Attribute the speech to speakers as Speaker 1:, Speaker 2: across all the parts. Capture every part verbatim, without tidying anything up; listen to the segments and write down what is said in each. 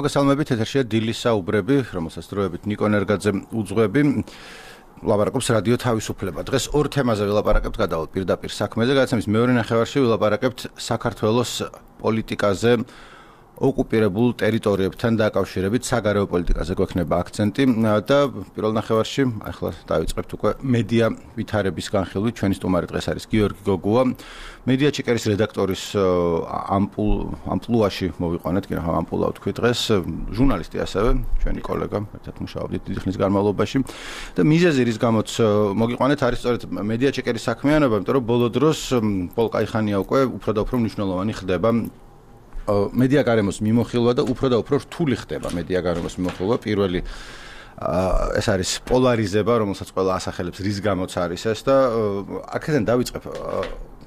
Speaker 1: მოგესალმებით, ეთერშია დილის საუბრები, რომელსაც დროებით ნიკო ნერგაძე უძღვები. ლაპარაკობს რადიო თავისუფლება. დღეს ორ თემაზე ვილაპარაკებთ, გადავალთ პირდაპირ საქმეზე, გადაცემის მეორე ნახევარში ვილაპარაკებთ საქართველოს პოლიტიკაზე, ოკუპირებულ ტერიტორიებთან დაკავშირებით, საგარეო პოლიტიკაზე გვექნება აქცენტი და პირველ ნახევარში ახლა დავიწყებთ უკვე მედია ვითარების განხილვით. ჩვენი სტუმარი დღეს არის გიორგი გოგუა. მედია ჩეკერის რედაქტორის ამპულ ამპლუაში მოვიყვანეთ, კი რა ამპულა ვთქვი დღეს, ჟურნალისტი ასევე, ჩვენი კოლეგა, ერთად მუშაობდით დიდი ხნის განმავლობაში და მიზეზი რის გამოც მოგიყვანეთ არის სწორედ მედია ჩეკერის საქმიანობა, იმიტომ რომ ბოლო დროს პოლკაიხანია უკვე უფრო და უფრო მნიშვნელოვანი ხდება მედია გარემოს მიმოხილვა და უფრო და უფრო რთული ხდება მედია გარემოს მიმოხილვა. პირველი ეს არის პოლარიზება, რომელსაც ყველა ასახელებს რის გამოც არის ეს და აქედან დავიწყებ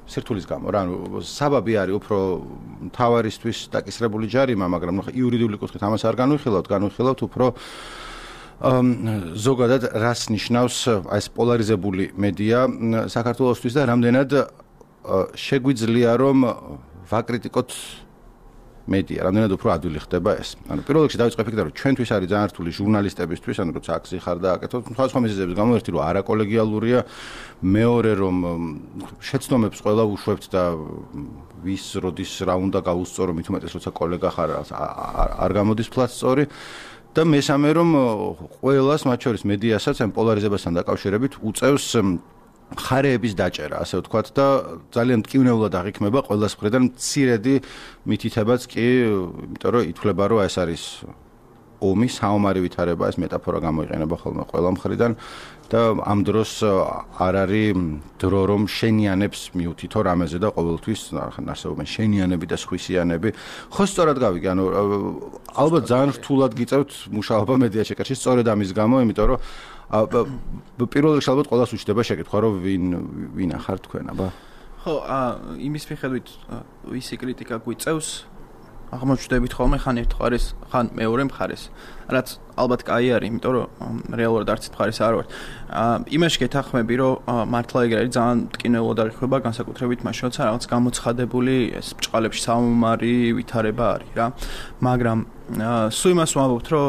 Speaker 1: სირთულის გამო, რა, საბაბი არის უფრო მთავარისთვის დაკისრებული ჯარიმა, მაგრამ იურიდიული კუთხით ამას არ განვიხილავთ, განვიხილავთ უფრო ზოგადად რას ნიშნავს ეს პოლარიზებული მედია საქართველოსთვის და რამდენად შეგვიძლია რომ ვაკრიტიკოთ მედია, რამდენად უფრო ადვილი ხდება ეს. ანუ პირველ რიგში დავიწყებ იქიდან, რომ ჩვენთვის არის ძალიან რთული ჟურნალისტებისთვის, ანუ როცა აქ ხარ და აკეთოთ, სხვადასხვა მიზეზების გამო, ერთი რომ არაკოლეგიალურია, მეორე რომ შეცდომებს ყველა უშვებთ და ვის როდის რა უნდა გაუსწორო, მით უმეტეს როცა კოლეგა ხარ არ გამოდის ფლატსწორი და მესამე რომ ყველას, მათ შორის მედიასაც ამ პოლარიზებასთან დაკავშირებით უწევს ხარეების დაჭერა, ასე ვთქვათ და ძალიან მტკივნეულად აღიქმება ყველას მხრიდან მცირედი მითითებაც კი, იმიტომ რომ ითვლება რომ ეს არის ომი, საომარი ვითარება, ეს მეტაფორა გამოიყენება ხოლმე ყველა მხრიდან და ამ დროს არ არის დრო რომ შენიანებს მიუთითო რამეზე და ყოველთვის არსებობენ შენიანები და სხვისიანები. ხო სწორად გავიგე, ანუ ალბათ ძალიან რთულად გიწევთ მუშაობა მედია ჩეკერში სწორედ ამის გამო, იმიტომ რომ პირველ რიგში ალბათ ყველას უჩნდება შეკითხვა, რომ ვინ ვინ ახარ თქვენ, აბა?
Speaker 2: ხო, იმის მიხედვით ვისი კრიტიკა გვიწევს, აღმოჩნდებით ხოლმე ხან ერთ მხარეს, ხან მეორე მხარეს, რაც ალბათ კაი არის, იმიტომ რომ რეალურად არც მხარეს არ ვარ. იმაში გეთანხმები, რომ მართლა ეგ არის ძალიან მტკივნეულად აღიქვება, განსაკუთრებით მაშინ, როცა რაღაც გამოცხადებული ეს ბჭყალებში საომარი ვითარება არის რა. მაგრამ სულ იმას ვამბობთ, რომ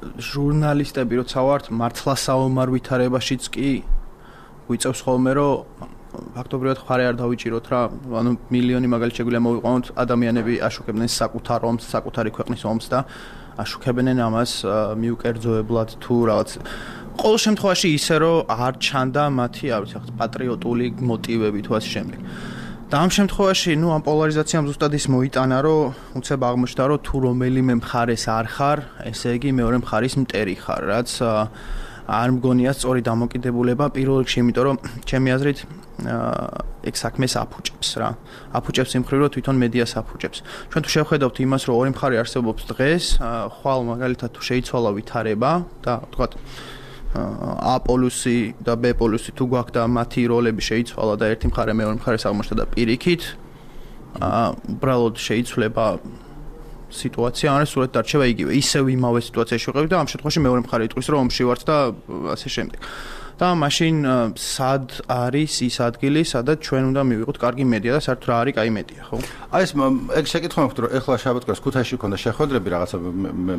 Speaker 2: ჟურნალისტები როცა ვართ მართლა საომარ ვითარებაშიც კი გვიწევს ხოლმე რომ ფაქტობრივად ხარე არ დავიჭიროთ რა, ანუ მილიონი მაგალითად შეგვიძლია მოვიყვანოთ, ადამიანები აშუქებდნენ საკუთარ ომს, საკუთარი ქვეყნის ომს და აშუქებდნენ ამას მიუკერძოებლად თუ რაღაც. ყოველ შემთხვევაში ისე რომ არ ჩანდა მათი, არ ვიცი, პატრიოტული მოტივები თუ ასე შემდეგ. და ამ შემთხვევაში, ნუ ამ პოლარიზაციამ ზუსტად ის მოიტანა, რომ უცებ აღმოჩნდა, რომ თუ რომელიმე მხარეს არ ხარ, ესე იგი მეორე მხარის მტერი ხარ, რაც არ მგონია სწორი დამოკიდებულება პირველ რიგში, იმიტომ რომ ჩემი აზრით ეგ საქმეს აფუჭებს რა. აფუჭებს იმ მხრივ, რომ თვითონ მედიას აფუჭებს. ჩვენ თუ შევხედავთ იმას, რომ ორი მხარე არსებობს დღეს, ხვალ მაგალითად თუ შეიცვალა ვითარება და თქვათ A პოლუსი და B პოლუსი თუ გვაქვს და მათი როლები შეიცვალა და ერთი მხარე მეორე მხარეს აღმოჩნდა და პირიქით უბრალოდ შეიცვლება სიტუაცია, ან სურათი დარჩება იგივე. ისევ იმავე სიტუაციაში ვიყავით და ამ შემთხვევაში მეორე მხარე იტყვის, რომ ომში ვართ და ასე შემდეგ. და მაშინ სად არის ის ადგილი, სადაც ჩვენ უნდა მივიღოთ კარგი მედია და საერთოდ რა არის კაი მედია, ხო?
Speaker 1: აი ეს ეგ შეკითხვა მაქვს, რომ ეხლა შაბათკვირას ქუთაისში ქონდა შეხვედრები რაღაცა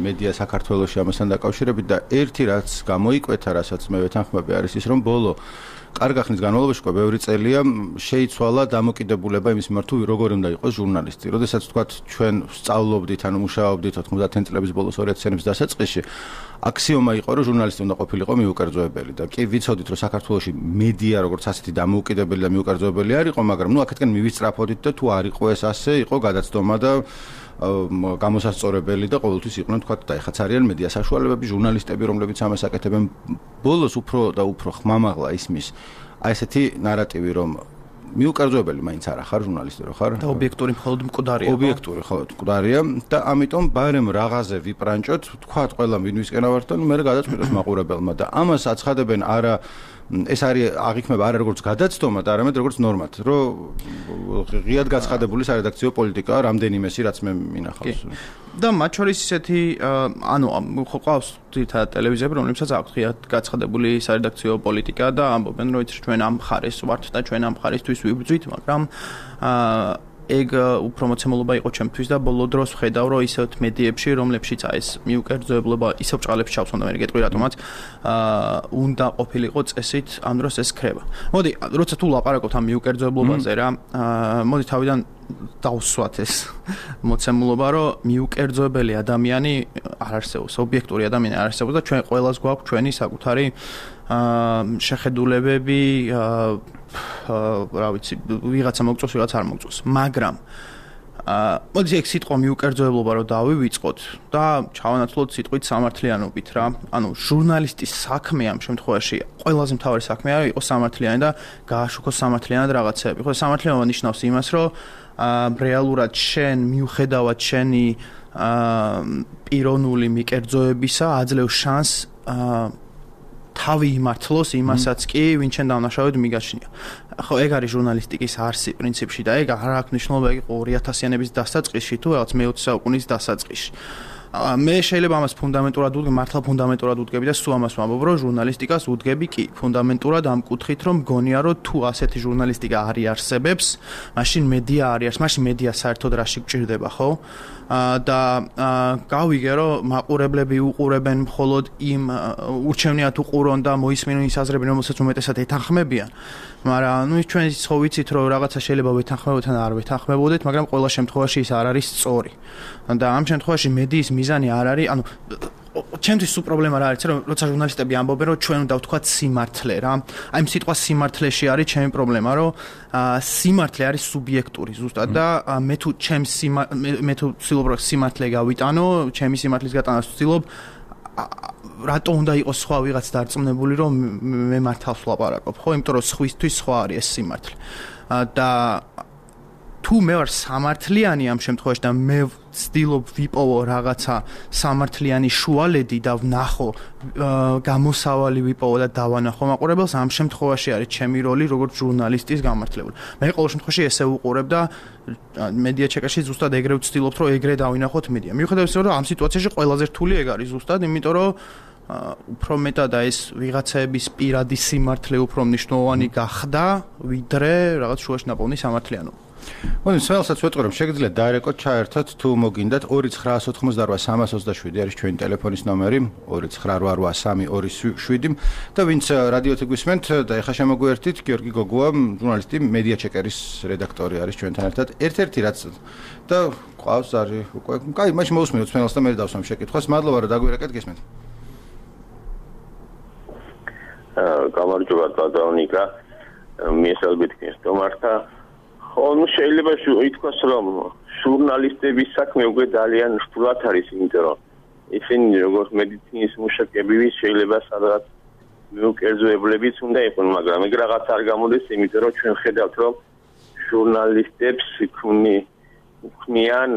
Speaker 1: მედია საქართველოში ამასთან დაკავშირებით და ერთი რაც გამოიკვეთა, რასაც მე ვეთანხმები არის ის, რომ ბოლო კარგ ხნის განმავლობაში უკვე ბევრი წელია შეიცვალა დამოკიდებულება იმის მიმართ, თუ როგორ უნდა იყოს ჟურნალისტი. როდესაც თქვათ ჩვენ სწავლობდით, ანუ მუშაობდით ოთხმოცდაათი წლების ბოლოს ორი ათი წლების დასაწყისში, აქსიომა იყო, რომ ჟურნალისტი უნდა ყოფილიყო მიუკერძოებელი და კი ვიცოდით, რომ საქართველოში მედია როგორც ასეთი დამოუკიდებელი და მიუკერძოებელი არ იყო, მაგრამ ნუ აქეთკენ მივისწრაფოდით და თუ არ იყო ეს ასე, იყო გადაცდომა და გამოსასწორებელი და ყოველთვის იყვნენ თქვათ და ეხაც არიან მედია საშუალებები, ჟურნალისტები, რომლებიც ამას აკეთებენ. ბოლოს უფრო და უფრო ხმამაღლა ისმის აი ესეთი ნარატივი, რომ მიუკერძოებელი მაინც არა ხარ ჟურნალისტი რო ხარ
Speaker 2: და ობიექტური მხოლოდ მკვდარია.
Speaker 1: ობიექტური მხოლოდ მკვდარია და ამიტომ ბარემ რაღაცე ვიპრანჭოთ, თქვათ ყველა ვინვისკენ ავართ და მე გადაწყვიტოს მაყურებელმა და ამას აცხადებენ არა ეს არის აღიქმება არა როგორც გადაცდომა და არამედ როგორც ნორმად, რომ ღიად გაცხადებული სარედაქციო პოლიტიკაა რამდენიმესი რაც მე მინახავს.
Speaker 2: და მათ შორის ისეთი ანუ ხო ყავს თითქოს ტელევიზიები, რომლებსაც აქვს ღიად გაცხადებული სარედაქციო პოლიტიკა და ამბობენ, რომ ჩვენ ამ მხარეს ვართ და ჩვენ ამ მხარისთვის ვიბრძვით, მაგრამ ეგ უფრო მოცემულობა იყო ჩემთვის და ბოლო დროს ვხედავ რომ ისეთ მედიებში რომლებშიც აი ეს მიუკერძოებლობა ისევ ჭყალებში ჩავსვანდა მე გეტყვი რატომაც აა უნდა ყოფილიყო წესით ამ დროს ეს ქრება. მოდი როცა თუ ლაპარაკობთ ამ მიუკერძოებლობაზე რა აა მოდი თავიდან დავსვათ ეს მოცემულობა რომ მიუკერძოებელი ადამიანი არ არსებობს, ობიექტური ადამიანი არ არსებობს და ჩვენ ყველას გვაქვს ჩვენი საკუთარი აა შეხედულებები აა რა ვიცი ვიღაცა მოგწოს ვიღაცა არ მოგწოს მაგრამ აა მოდი ეგ სიტყვა მიუკერძოებლობა რომ დავივიწყოთ და ჩავანაცვლოთ სიტყვით სამართლიანობით რა ანუ ჟურნალისტის საქმე ამ შემთხვევაში ყველაზე მთავარი საქმე არის იყოს სამართლიანი და გააშუქოს სამართლიანად რაღაცეები ხო სამართლიანობა ნიშნავს იმას რომ აა რეალურად შენ მიუხედავად შენი აა პიროვნული მიკერძოებისა აძლევს შანსს აა თავი იმართლოს იმასაც კი ვინ ჩვენ დავნაშავედ მიგაჩნია. ხო ეგ არის ჟურნალისტიკის არსი პრინციპში და ეგ არ აქვს მნიშვნელობა ეგ ორი ათასიანების დასაწყისში თუ რაღაც მეოცე საუკუნის დასაწყისში. მე შეიძლება ამას ფუნდამენტურად ვუდგები, მართლა ფუნდამენტურად ვუდგები და სულ ამას ვამბობ, რომ ჟურნალისტიკას ვუდგები კი, ფუნდამენტურად ამ კუთხით, რომ მგონია, რომ თუ ასეთი ჟურნალისტიკა არ იარსებებს, მაშინ მედია არ იარს, მაშინ მედია საერთოდ რაში გჭირდება, ხო? და გავიგე, რომ მაყურებლები უყურებენ მხოლოდ იმ ურჩევნიათ უყურონ და მოისმინონ ის აზრები, რომელსაც უმეტესად ეთანხმებიან. მაგრამ ნუ ჩვენ ხო ვიცით, რომ რაღაცა შეიძლება ვეთანხმებოდეთ ან არ ვეთანხმებოდეთ, მაგრამ ყველა შემთხვევაში ის არ არის სწორი. და ამ შემთხვევაში მედიის მიზანი არ არის, ანუ ჩემთვის სულ პრობლემა რა არის, რომ როცა ჟურნალისტები ამბობენ, რომ ჩვენ უნდა ვთქვათ სიმართლე რა. აი ამ სიტყვა სიმართლეში არის ჩემი პრობლემა, რომ სიმართლე არის სუბიექტური ზუსტად და მე თუ ჩემ მე თუ ვცდილობ რომ სიმართლე გავიტანო, ჩემი სიმართლის გატანას ვცდილობ რატო უნდა იყოს სხვა ვიღაც დარწმუნებული რომ მე მართავს ვლაპარაკობ, ხო? იმიტომ რომ სხვისთვის სხვა არის ეს სიმართლე. და თუ მე ვარ სამართლიანი ამ შემთხვევაში და მე ვცდილობ ვიპოვო რაღაცა სამართლიანი შუალედი და ვნახო გამოსავალი ვიპოვო და დავანახო მაყურებელს, ამ შემთხვევაში არის ჩემი როლი როგორც ჟურნალისტის გამართლებული. მე ყოველ შემთხვევაში ესე ვუყურებ და მედია ჩეკაში ზუსტად ეგრე ვცდილობთ რომ ეგრე დავინახოთ მედია. მიუხედავად იმისა რომ ამ სიტუაციაში ყველაზე რთული ეგ არის ზუსტად, იმიტომ რომ უფრო მეტად ეს ვიღაცების პირადი სიმართლე უფრო მნიშვნელოვანი გახდა, ვიდრე რაღაც შუაში ნაპოვნი სამართლიანობა. მოდი
Speaker 1: სველსაც ვეტყვი რომ შეგიძლიათ დაერეკოთ ჩაერთოთ თუ მოგინდათ ორი ცხრა ოთხმოცდაოთხ სამას ოცდაშვიდი არის ჩვენი ტელეფონის ნომერი ორი ცხრა რვა რვა სამი ორი შვიდი და ვინც რადიოთი გვისმენთ და ეხა შემოგვიერთით გიორგი გოგუა ჟურნალისტი მედია ჩეკერის რედაქტორი არის ჩვენთან ერთად ერთ-ერთი რაც და ყავს არის უკვე კაი მაშინ მოусმინოთ სველს და მე დავსვამ შეკითხვას მადლობა რომ დაგვირეკეთ გისმენთ
Speaker 3: გამარჯობა დადავნიკა მიესალმებით გესტომართა ხო ნუ შეიძლება ითქვას რომ ჟურნალისტების საქმე უკვე ძალიან რთულად არის იმიტომ რომ ისინი როგორც მედიცინის მუშაკები შეიძლება სადღაც მიუკერძოებლებიც უნდა იყვნენ მაგრამ ეგ რაღაც არ გამოდის იმიტომ რომ ჩვენ ხედავთ რომ ჟურნალისტებს ქმნი ქმნიან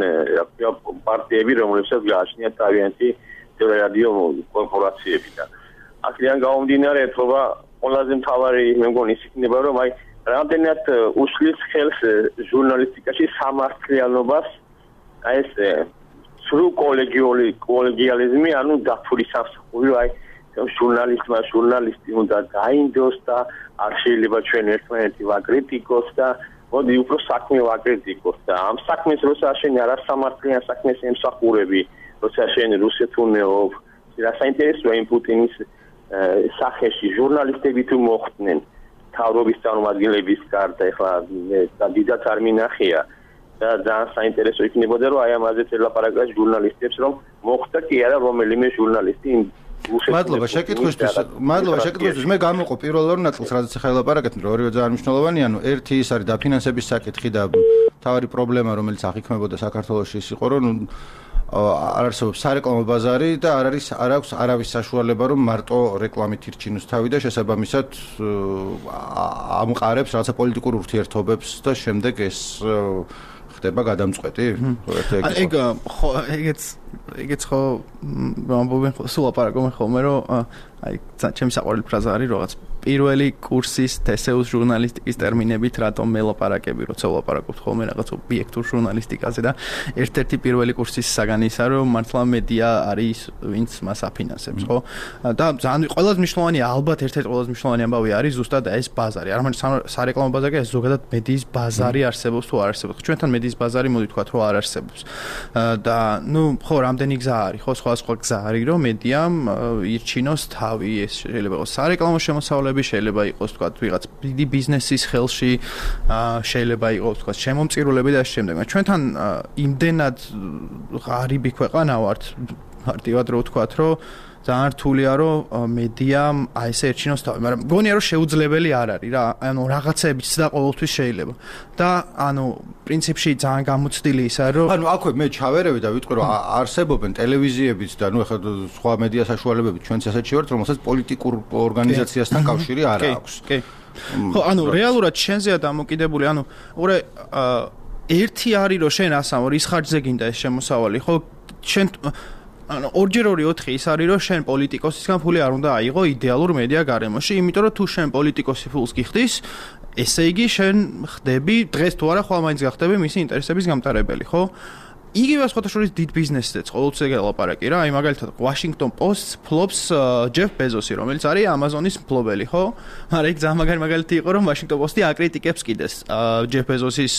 Speaker 3: პარტიები რომლებსაც გააჩნიათ თავიანთი ტელერადიო კორპორაციები და აქედან გამომდინარე ეთქობა ყველაზე მთავარი მე მგონი ის იქნება რომ აი რამდენად უშლის ხელს ჟურნალისტიკაში სამართლიანობას აი ეს სრულ კოლეგიალური კოლეგიალიზმი ანუ დათვლის სამსახური აი ჟურნალისტმა ჟურნალისტი უნდა დაინდოს და არ შეიძლება ჩვენ ერთმანეთი ვაკრიტიკოს და მოდი უფრო საქმე ვაკრიტიკოს და ამ საქმეს როცა შენ არასამართლიან საქმეს ემსახურები როცა შენ რუსეთუნეობ რა საინტერესოა იმ პუტინის სახეში ჟურნალისტები თუ მოხდნენ თავრობის წარმომადგენლების გარდა ეხლა და დიდად არ მინახია და ძალიან საინტერესო იქნებოდა რომ აი ამაზე ელაპარაკა ჟურნალისტებს რომ მოხდა კი არა რომელიმე ჟურნალისტი
Speaker 1: მადლობა შეკითხვისთვის მადლობა შეკითხვისთვის მე გამოვყო პირველ ნაწილს რადგან ახლა ელაპარაკეთ რომ ორივე ძალიან მნიშვნელოვანი ანუ ერთი ის არის დაფინანსების საკითხი და თავარი პრობლემა რომელიც აღიქმებოდა საქართველოში ის იყო რომ არ არსებობს სარეკლამო ბაზარი და არ არის არ აქვს არავის საშუალება რომ მარტო რეკლამით ირჩინოს თავი და შესაბამისად ამყარებს რაღაცა პოლიტიკურ ურთიერთობებს და შემდეგ ეს ხდება გადამწყვეტი
Speaker 2: ეგ ხო ეგეც ეგეც ხო ვამბობენ სულ აპარაკობენ ხოლმე რომ აი ჩემი საყვარელი ფრაზა არის რაღაც პირველი კურსის თესეუს ჟურნალისტიკის ტერმინებით რატომ მელაპარაკები როცა ვლაპარაკობთ ხოლმე რაღაც ობიექტურ ჟურნალისტიკაზე და ერთ-ერთი პირველი კურსის საგანი ისაა რომ მართლა მედია არის ვინც მას აფინანსებს ხო და ძალიან ყველაზე მნიშვნელოვანი ალბათ ერთ-ერთი ყველაზე მნიშვნელოვანი ამბავი არის ზუსტად ეს ბაზარი არ მარტო სარეკლამო ბაზარი ეს ზოგადად მედიის ბაზარი არსებობს თუ არ არსებობს ჩვენთან მედიის ბაზარი მოდი თქვათ რომ არ არსებობს და ნუ ხო რამდენი გზა არის ხო სხვა სხვა გზა არის რომ მედიამ ირჩინოს თავი ეს შეიძლება იყოს სარეკლამო შემოსავლები შეიძლება იყოს თქვათ ვიღაც დიდი ბიზნესის ხელში შეიძლება იყოს თქვათ შემომწირულები და შემდეგ ჩვენთან იმდენად ღარიბი ქვეყანა ვართ მარტივად რო ვთქვათ რომ ძალიან რთულია რომ მედიამ აი ესე ერჩინოს თავი, მაგრამ მგონია რომ შეუძლებელი არ არის რა, ანუ რაღაცებიც და ყოველთვის შეიძლება. და ანუ პრინციპში ძალიან გამოცდილი ისაა რომ
Speaker 1: ანუ აქვე მე ჩავერევი და ვიტყვი რომ არსებობენ ტელევიზიებიც და ნუ ახლა სხვა მედია საშუალებებით ჩვენც ასეთში ვართ, რომელსაც პოლიტიკურ ორგანიზაციასთან კავშირი არ აქვს.
Speaker 2: კი, კი. ხო, ანუ რეალურად შენზეა დამოკიდებული, ანუ უყურე ერთი არის რომ შენ ასამო რის ხარჯზე გინდა ეს შემოსავალი, ხო? შენ ანუ ორჯერ ორი ოთხი ის არის რომ შენ პოლიტიკოსისგან ფული არ უნდა აიღო იდეალურ მედია გარემოში, იმიტომ რომ თუ შენ პოლიტიკოსი ფულს გიხდის, ესე იგი შენ ხდები დღეს თუ არა ხვალ მაინც გახდები მისი ინტერესების გამტარებელი, ხო? იგივე სხვათა შორის დიდ ბიზნესზეც ყოველთვის ეგ ელაპარაკი რა, აი მაგალითად Washington Post ფლობს ჯეფ ბეზოსი, რომელიც არის Amazon-ის მფლობელი, ხო? მაგრამ ეგ ძალიან მაგარი მაგალითი იყო, რომ Washington Post-ი აკრიტიკებს კიდეს ჯეფ ბეზოსის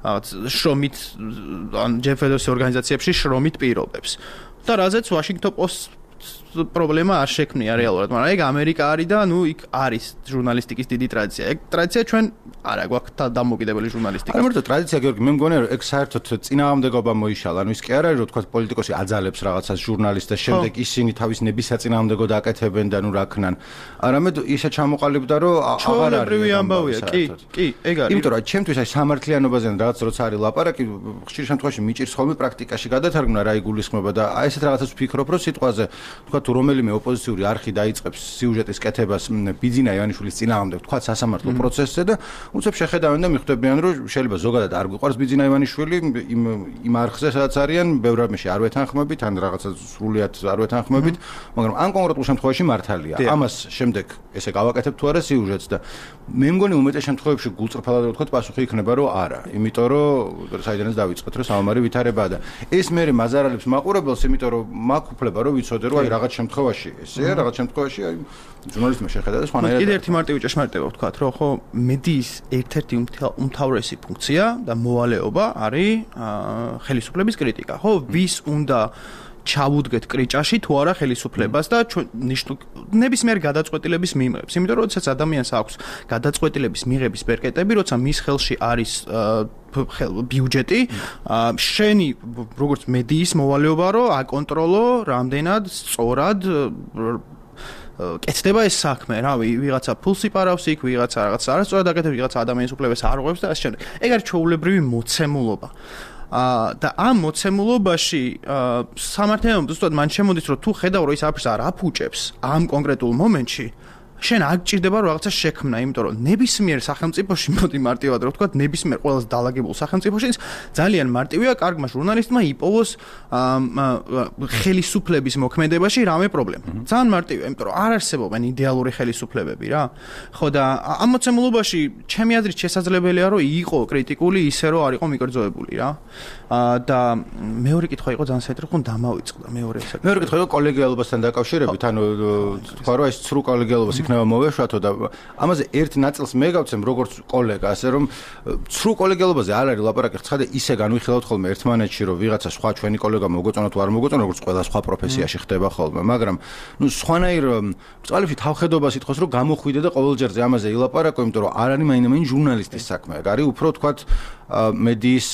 Speaker 2: რაღაც შრომით, ან ჯეფ ბეზოსის ორგანიზაციებში შრომით პირობებს. და რაზეც Washington Post პრობლემა არ შექმნია რეალურად, მაგრამ ეგ ამერიკა არის და ნუ იქ არის ჟურნალისტიკის დიდი ტრადიცია. ეგ ტრადიცია ჩვენ არა გვაქვს დამოკიდებელი ჟურნალისტიკა.
Speaker 1: არა მარტო ტრადიცია გიორგი, მე მგონია რომ ეგ საერთოდ წინააღმდეგობა მოიშალა. ანუ ის კი არ არის რომ თქვა პოლიტიკოსი აძალებს რაღაცას ჟურნალისტს და შემდეგ ისინი თავის ნების საწინააღმდეგოდ აკეთებენ და ნუ რა ქნან. არამედ ისე ჩამოყალიბდა რომ აღარ არის
Speaker 2: ჩვეულებრივი ამბავია, კი, კი, ეგ არის.
Speaker 1: იმიტომ რომ ჩემთვის აი სამართლიანობაზე რაღაც როცა არის ლაპარაკი, ხშირ შემთხვევაში მიჭირს ხოლმე პრაქტიკაში გადათარგმნა რა იგულისხმება და აი ესეთ რაღაცას ვფიქრობ რომ სიტყვაზე თქვა თუ რომელიმე ოპოზიციური არხი დაიწყებს სიუჟეტის კეთებას ბიძინა ივანიშვილის წინააღმდეგ თქვა სასამართლო პროცესზე და უცებ შეხედავენ და მიხვდებიან რომ შეიძლება ზოგადად არ გვიყვარს ბიძინა ივანიშვილი იმ იმ არხზე სადაც არიან ბევრ რამეში არ ვეთანხმებით ან რაღაცა სრულიად არ ვეთანხმებით მაგრამ ამ კონკრეტულ შემთხვევაში მართალია ამას შემდეგ ესე გავაკეთებ თუ არა სიუჟეტს და მე მგონი უმეტეს შემთხვევებში გულწრფელად ვთქვათ პასუხი იქნება რომ არა იმიტომ რომ საიდანაც დავიწყეთ რომ სამომარი ვითარებაა და ეს მე მაზარალებს მაყურებელს იმიტომ რომ მაქვს უფლება რომ ვიცოდე რომ აი რაღაც შემთხვევაში ესე რაღაც შემთხვევაში აი ჟურნალისტმა შეხედა და სხვანაირად
Speaker 2: კიდე ერთი მარტივი ჭეშმარიტება ვთქვათ რომ ხო მედიის ერთ-ერთი უმთავრესი ფუნქცია და მოვალეობა არის ხელისუფლების კრიტიკა ხო ვის უნდა ჩავუდგეთ კრიჭაში თუ არა ხელისუფლებას და ნებისმიერ გადაწყვეტილების მიღებს. იმიტომ რომ როდესაც ადამიანს აქვს გადაწყვეტილების მიღების პერკეტები, როცა მის ხელში არის ბიუჯეტი, შენი როგორც მედიის მოვალეობა რომ აკონტროლო რამდენად სწორად კეთდება ეს საქმე, რავი, ვიღაცა ფულს იპარავს იქ, ვიღაცა რაღაც არასწორად აკეთებს, ვიღაცა ადამიანის უფლებებს არ ღვევს და ასე შემდეგ. ეგ არის ჩვეულებრივი მოცემულობა. და ამ მოცემულობაში სამართლიანობა ზუსტად მან შემოდის რომ თუ ხედავ რომ ის აფერს არ აფუჭებს ამ კონკრეტულ მომენტში შენ არ გჭირდება რომ რაღაცა შექმნა, იმიტომ რომ ნებისმიერ სახელმწიფოში მოდი მარტივად რომ ვთქვათ, ნებისმიერ ყველაზე დაალაგებულ სახელმწიფოში ძალიან მარტივია კარგმა ჟურნალისტმა იპოვოს ხელისუფლების მოქმედებაში რამე პრობლემა. ძალიან მარტივია, იმიტომ რომ არ არსებობენ იდეალური ხელისუფლებები რა. ხო და ამ მოცემულობაში ჩემი აზრით შესაძლებელია რომ იყო კრიტიკული ისე რომ არ იყო მიკერძოებული რა. და მეორე კითხვა იყო ძალიან საინტერესო, ხომ დამავიწყდა მეორე საკითხი.
Speaker 1: მეორე კითხვა იყო კოლეგიალობასთან დაკავშირებით, ანუ თქვა რომ ეს ცრუ კოლეგიალობას იქნება მოვეშვათო და ამაზე ერთ ნაწილს მე გავცემ როგორც კოლეგა, ასე რომ ცრუ კოლეგიალობაზე არ არის ლაპარაკი, ცხადე ისე განვიხილავთ ხოლმე ერთმანეთში, რომ ვიღაცა სხვა ჩვენი კოლეგა მოგოწონა თუ არ მოგოწონა, როგორც ყველა სხვა პროფესიაში ხდება ხოლმე, მაგრამ ნუ სხვანაირ წყალებში თავხედობას ითხოვს, რომ გამოხვიდე და ყოველჯერზე ამაზე ილაპარაკო, იმიტომ რომ არ არის მაინდა-მაინც ჟურნალისტის საქმე, არის უფრო თქვათ მედიის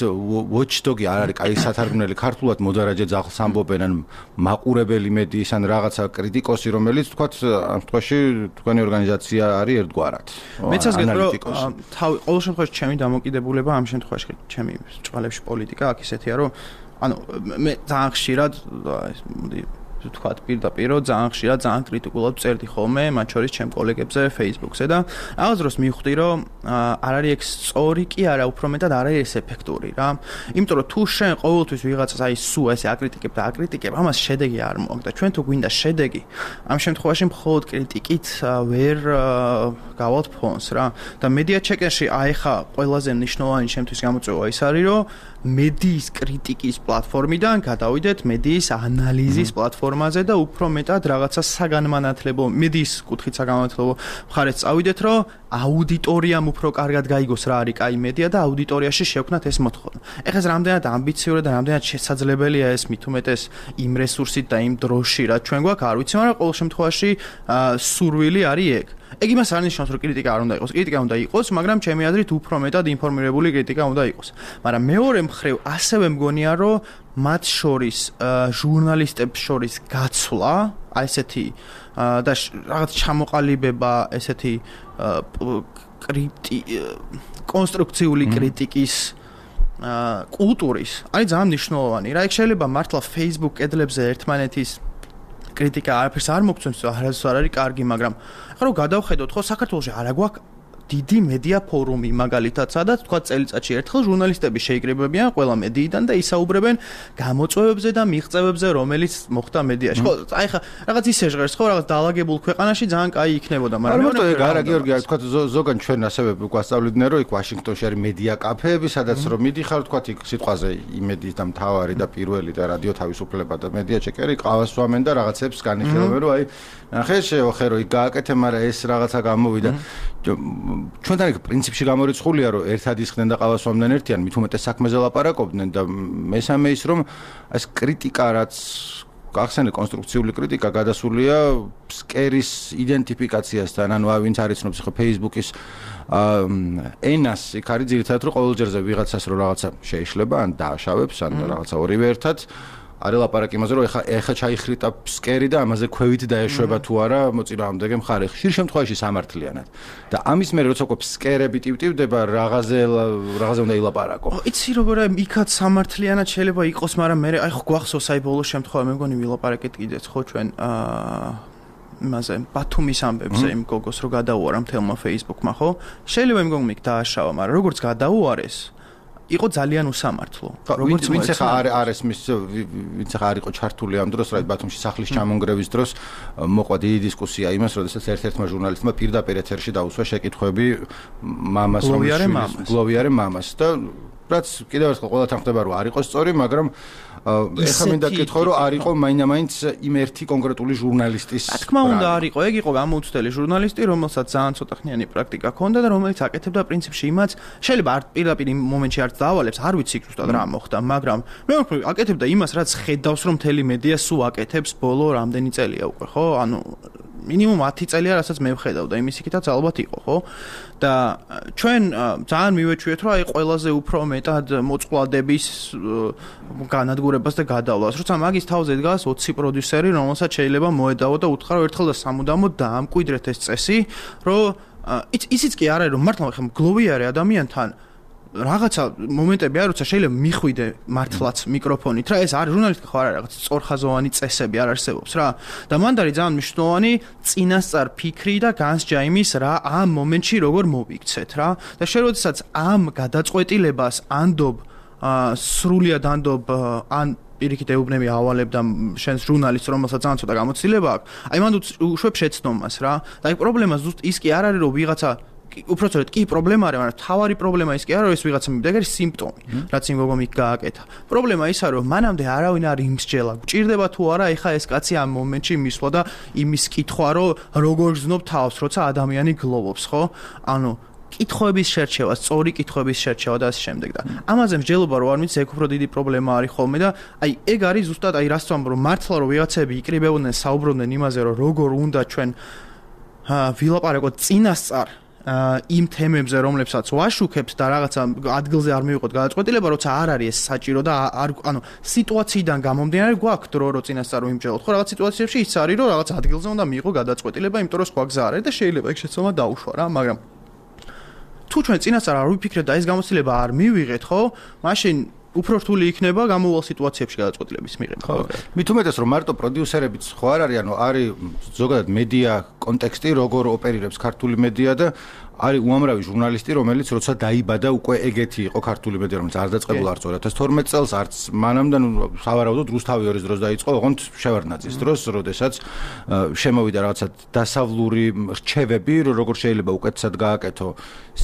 Speaker 1: watchdog-ი არ არის კაი სათარგმნელი ქართულად მოდარაჯე ძაღლს ამბობენ ან მაყურებელი მედიის ან რაღაცა კრიტიკოსი რომელიც თქვათ ამ შემთხვევაში თქვენი ორგანიზაცია არის ერთგვარად.
Speaker 2: მეც ასგეთ რომ თავი ყოველ შემთხვევაში ჩემი დამოკიდებულება ამ შემთხვევაში ჩემი ჭყალებში პოლიტიკა აქ ისეთია რომ ანუ მე ძალიან ხშირად მოდი თქვათ პირდაპირ ძალიან ხშირად ძალიან კრიტიკულად წერდი ხოლმე მათ შორის ჩემ კოლეგებზე Facebook-ზე და რაღაც დროს მივხვდი რომ არ არის ეგ სწორი კი არა უფრო მეტად არ არის ეფექტური რა იმიტომ რომ თუ შენ ყოველთვის ვიღაცას აი სულ ესე აკრიტიკებ და აკრიტიკებ ამას შედეგი არ მოაქვს და ჩვენ თუ გვინდა შედეგი ამ შემთხვევაში მხოლოდ კრიტიკით ვერ გავალთ ფონს რა და მედია ჩეკერში აი ხა ყველაზე მნიშვნელოვანი ჩემთვის გამოწვევა ის არის რომ მედიის კრიტიკის პლატფორმიდან გადავიდეთ მედიის ანალიზის პლატფორმაზე და უფრო მეტად რაღაცა საგანმანათლებლო მედიის კუთხით საგანმანათლებლო მხარეს წავიდეთ რომ აუდიტორიამ უფრო კარგად გაიგოს რა არის კაი მედია და აუდიტორიაში შევქნათ ეს მოთხოვნა. ეხლა ეს რამდენად ამბიციური და რამდენად შესაძლებელია ეს მით უმეტეს იმ რესურსით და იმ დროში რა ჩვენ გვაქვს არ ვიცი მაგრამ ყოველ შემთხვევაში სურვილი არის ეგ. ეგ იმას არ ნიშნავს რომ კრიტიკა არ უნდა იყოს. კრიტიკა უნდა იყოს, მაგრამ ჩემი აზრით უფრო მეტად ინფორმირებული კრიტიკა უნდა იყოს. მაგრამ მეორე მხრივ ასევე მგონია რომ მათ შორის ჟურნალისტებს შორის გაცვლა, აი ესეთი და რაღაც ჩამოყალიბება ესეთი კრიტი კონსტრუქციული კრიტიკის კულტურის არის ძალიან მნიშვნელოვანი. რა იქ შეიძლება მართლა Facebook კედლებზე ერთმანეთის კრიტიკა არაფერს არ მოგწონს, არასდროს არ არის კარგი, მაგრამ ახლა რომ გადავხედოთ, ხო საქართველოში არა გვაქვს დიდი მედია ფორუმი მაგალითად, სადაც თქვა წელიწადში ერთხელ ჟურნალისტები შეიკრიბებიან ყველა მედიიდან და ისაუბრებენ გამოწვევებზე და მიღწევებზე, რომელიც მოხდა მედიაში. ხო, აი ხა რაღაც ისე ჟღერს, ხო, რაღაც დაალაგებულ ქვეყანაში ძალიან კაი იქნებოდა,
Speaker 1: მაგრამ მე მგონი არა გიორგი, თქვა ზოგან ჩვენ ასევე გვასწავლიდნენ, რომ იქ ვაშინგტონში არის მედია კაფეები, სადაც რომ მიდიხარ, თქვა იქ სიტყვაზე იმედის და მთავარი და პირველი და რადიო თავისუფლება და მედია ჩეკერი ყავას ვამენ და რაღაცებს განიხილავენ, რომ აი ნახე შევახე რომ იქ გააკეთე, მაგრამ ეს რაღაცა გამოვიდა. ჩვენთან იქ პრინციპში გამორიცხულია რომ ერთად ისხდნენ და ყავას ვამდნენ ერთიან, მით უმეტეს საქმეზე ლაპარაკობდნენ და მესამე ის რომ ეს კრიტიკა რაც გახსენე კონსტრუქციული კრიტიკა გადასულია ფსკერის იდენტიფიკაციასთან, ანუ ვინც არ იცნობს ხო Facebook-ის ენას, იქ არის ძირითადად რომ ყოველ ჯერზე ვიღაცას რომ რაღაცა შეიშლება, ან დააშავებს, ან რაღაცა ორივე ერთად არის ლაპარაკი იმაზე, რომ ეხა ეხა ჩაიხრიტა ფსკერი და ამაზე ქვევით დაეშვება თუ არა მოწინააღმდეგე მხარე. ხშირ შემთხვევაში სამართლიანად. და ამის მერე როცა უკვე ფსკერები ტივტივდება, რაღაცზე რაღაცზე უნდა ილაპარაკო.
Speaker 2: იცი როგორია, იქაც სამართლიანად შეიძლება იყოს, მაგრამ მე აი ხო გვახსოვს აი ბოლოს შემთხვევა, მე მგონი ვილაპარაკეთ კიდეც ხო ჩვენ აა იმაზე ბათუმის ამბებზე იმ გოგოს რო გადაუარა მთელმა Facebook-მა ხო? შეიძლება იმ გოგომ იქ დააშავა, მაგრამ როგორც გადაუარეს იყო ძალიან უსამართლო.
Speaker 1: როგორც ვინც ახლა არ არის მის ვინც ახლა არ იყო ჩართული ამ დროს, რა ბათუმში სახლის ჩამონგრევის დროს მოყვა დიდი დისკუსია იმას, როდესაც ერთ-ერთმა ჟურნალისტმა პირდაპირ ეთერში დაუსვა შეკითხვები მამას, რომ გლოვიარე მამას და რაც კიდევ ერთხელ ყველათან ხდება რომ არ იყო სწორი, მაგრამ ეხლა მინდა გკითხო რომ არ იყო მაინდა-მაინც იმ ერთი კონკრეტული ჟურნალისტის.
Speaker 2: რა თქმა უნდა არ იყო, ეგ იყო გამოუცდელი ჟურნალისტი, რომელსაც ძალიან ცოტახნიანი პრაქტიკა ჰქონდა და რომელიც აკეთებდა პრინციპში იმას, შეიძლება არ პირდაპირ იმ მომენტში არც დაავალებს, არ ვიცი ზუსტად რა მოხდა, მაგრამ მე ვფიქრობ აკეთებდა იმას, რაც ხედავს რომ მთელი მედია სულ აკეთებს ბოლო რამდენი წელია უკვე, ხო? ანუ მინიმუმ ათი წელია, რასაც მე ვხედავ და იმის იქითაც ალბათ იყო, ხო? და ჩვენ ძალიან მივეჩვიეთ, რომ აი ყველაზე უფრო მეტად მოწყვლადების განადგურებას და გადავლას, როცა მაგის თავზე დგას ოცი პროდიუსერი, რომელსაც შეიძლება მოედავო და უთხრა რომ ერთხელ და სამუდამოდ დაამკვიდრეთ ეს წესი, რომ ისიც კი არ არის რომ მართლა ხომ გლოვიარე ადამიანთან რაღაცა მომენტები არის, როცა შეიძლება მიხვიდე მართლაც მიკროფონით, რა ეს არის ჟურნალისტი ხო არ არის რაღაც სწორხაზოვანი წესები არ არსებობს რა. და მანდ არის ძალიან მნიშვნელოვანი წინასწარ ფიქრი და განსჯა იმის რა ამ მომენტში როგორ მოვიქცეთ რა. და შენ როდესაც ამ გადაწყვეტილებას ანდობ სრულად ანდობ ან პირიქით ეუბნები ავალებ და შენს ჟურნალისტს რომელსაც ძალიან ცოტა გამოცდილება აქვს, აი მანდ უშვებ შეცდომას რა. და აი პრობლემა ზუსტ ის კი არ არის რომ ვიღაცა უпроцент კი პრობლემა არის, მაგრამ თავარი პრობლემა ის კი არა, რომ ეს ვიღაცა მივიდა, ეს სიმპტომი, რაც იმ გოგომ იქ გააკეთა. პრობლემა ის არის, რომ მანამდე არავინ არ იმსჯელა. გჭირდება თუ არა ეხა ეს კაცი ამ მომენტში მისვლა და იმის კითხვა, რომ როგორ გზნობ თავს, როცა ადამიანი გლოვობს, ხო? ანუ კითხვების შერჩევა, სწორი კითხვების შერჩევა და ასე შემდეგ და ამაზე მსჯელობა რო არ მიცი, ეგ უფრო დიდი პრობლემა არის ხოლმე და აი ეგ არის ზუსტად აი რას ვამბობ, რომ მართლა რომ ვიღაცები იკრიბებოდნენ, საუბრობდნენ იმაზე, რომ როგორ უნდა ჩვენ ვილაპარაკოთ წინასწარ იმ თემებზე, რომლებსაც ვაშუქებთ და რაღაცა ადგილზე არ მივიღოთ გადაწყვეტილება, როცა არ არის ეს საჭირო და არ ანუ სიტუაციიდან გამომდინარე გვაქვს დრო რო წინასწარ ვიმსჯელოთ. ხო რაღაც სიტუაციებში ის არის, რომ რაღაც ადგილზე უნდა მიიღო გადაწყვეტილება, იმიტომ რომ სხვა გზა არ არის და შეიძლება ეგ შეცდომა დაუშვა რა, მაგრამ თუ ჩვენ წინასწარ არ ვიფიქრეთ და ეს გამოცდილება არ მივიღეთ, ხო? მაშინ უფრო რთული იქნება გამოვალ სიტუაციებში გადაწყვეტილების მიღება.
Speaker 1: მით უმეტეს რომ მარტო პროდიუსერებიც ხო არ არის, ანუ არის ზოგადად მედია კონტექსტი, როგორ ოპერირებს ქართული მედია და არის უამრავი ჟურნალისტი, რომელიც როცა დაიბადა უკვე ეგეთი იყო ქართული მედია, რომელიც არ დაწყებულა არც ორი ათას თორმეტ წელს, არც მანამდე, ნუ სავარაუდოდ რუსთავი ორის დროს დაიწყო, ოღონდ შევარდნაძის დროს, როდესაც შემოვიდა რაღაცა დასავლური რჩევები, როგორ შეიძლება უკეთესად გააკეთო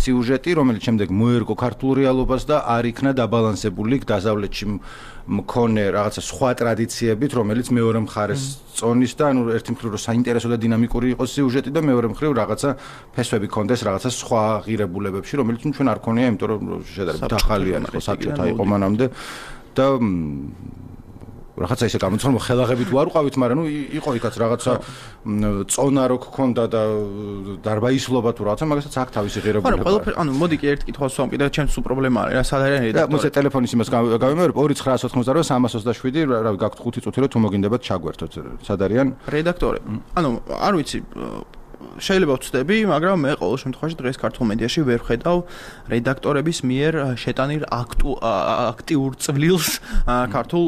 Speaker 1: სიუჟეტი, რომელიც შემდეგ მოერგო ქართულ რეალობას და არ იქნა დაბალანსებული დასავლეთში მქონე რაღაცა სხვა ტრადიციებით, რომელიც მეორე მხარეს წონის და ანუ ერთი მხრივ რომ საინტერესო და დინამიკური იყოს სიუჟეტი და მეორე მხრივ რაღაცა ფესვები კონდეს რაღაცა სხვა ღირებულებებში, რომელიც ჩვენ არ ქონია, იმიტომ რომ შედარებით ახალია ხო საბჭოთა იყო მანამდე და რაღაცა ისე გამოცხადდა, რომ ხელაღებით ვარ უყავით, მაგრამ ნუ იყო იქაც რაღაცა წონა რო გქონდა და დარბაისლობა თუ რაღაცა, მაგასაც აქ თავისი ღირებულება.
Speaker 2: ანუ ყველაფერი, ანუ მოდი კი ერთ კითხვას ვამყიდე, ჩემს სულ პრობლემა არის, რა სად არის რედაქტორი.
Speaker 1: და მოდი ტელეფონის იმას გავიმეორებ, ორი ცხრა ოთხმოცდაოთხ სამას ოცდაშვიდი, რავი, გაქვთ ხუთი წუთი რომ თუ მოგინდებათ ჩაგვერთოთ. სად არიან?
Speaker 2: რედაქტორები. ანუ არ ვიცი შეიძლება ვწდები, მაგრამ მე ყოველ შემთხვევაში დღეს ქართულ მედიაში ვერ ხედავ რედაქტორების მიერ შეტანილ აქტიურ წვლილს ქართულ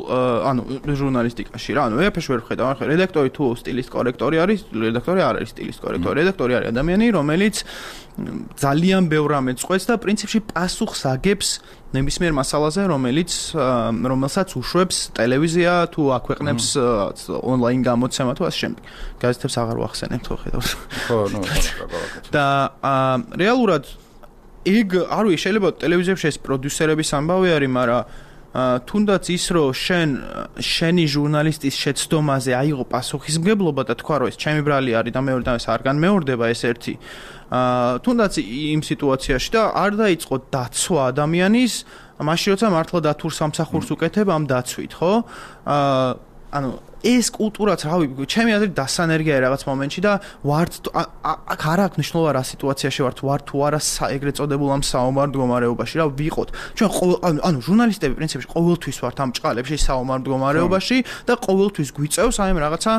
Speaker 2: ანუ ჟურნალისტიკაში რა. ანუ ეფეში ვერ ხედავ. ახლა რედაქტორი თუ სტილისტ კორექტორი არის, რედაქტორი არ არის სტილისტ კორექტორი. რედაქტორი არის ადამიანი, რომელიც ძალიან ბევრ რამეს წყვეტს და პრინციპში პასუხს აგებს ნებისმიერ მასალაზე, რომელიც რომელსაც უშვებს ტელევიზია თუ აქვეყნებს ონლაინ გამოცემა თუ ასე შემდეგ. გაზეთებს აღარ ვახსენებ თქო ხედავს.
Speaker 1: ხო, ნუ
Speaker 2: და რეალურად ეგ არ ვიცი, შეიძლება ტელევიზიებში ეს პროდიუსერების ამბავი არის, მაგრამ თუნდაც ის რომ შენ შენი ჟურნალისტის შეცდომაზე აიღო პასუხისმგებლობა და თქვა რომ ეს ჩემი ბრალი არის და მეორე და ეს არ განმეორდება ეს ერთი თუნდაც იმ სიტუაციაში და არ დაიწყო დაცვა ადამიანის მაშინ როცა მართლა დათურ სამსახურს უკეთებ ამ დაცვით ხო ანუ ეს კულტურაც რავი ჩემი აზრით დასანერგია რაღაც მომენტში და ვართ აქ არ აქვს მნიშვნელობა რა სიტუაციაში ვართ ვართ თუ არა ეგრეთ წოდებულ ამ საომარ მდგომარეობაში რა ვიყოთ ჩვენ ანუ ჟურნალისტები პრინციპში ყოველთვის ვართ ამ ჭყალებში საომარ მდგომარეობაში და ყოველთვის გვიწევს აი ამ რაღაცა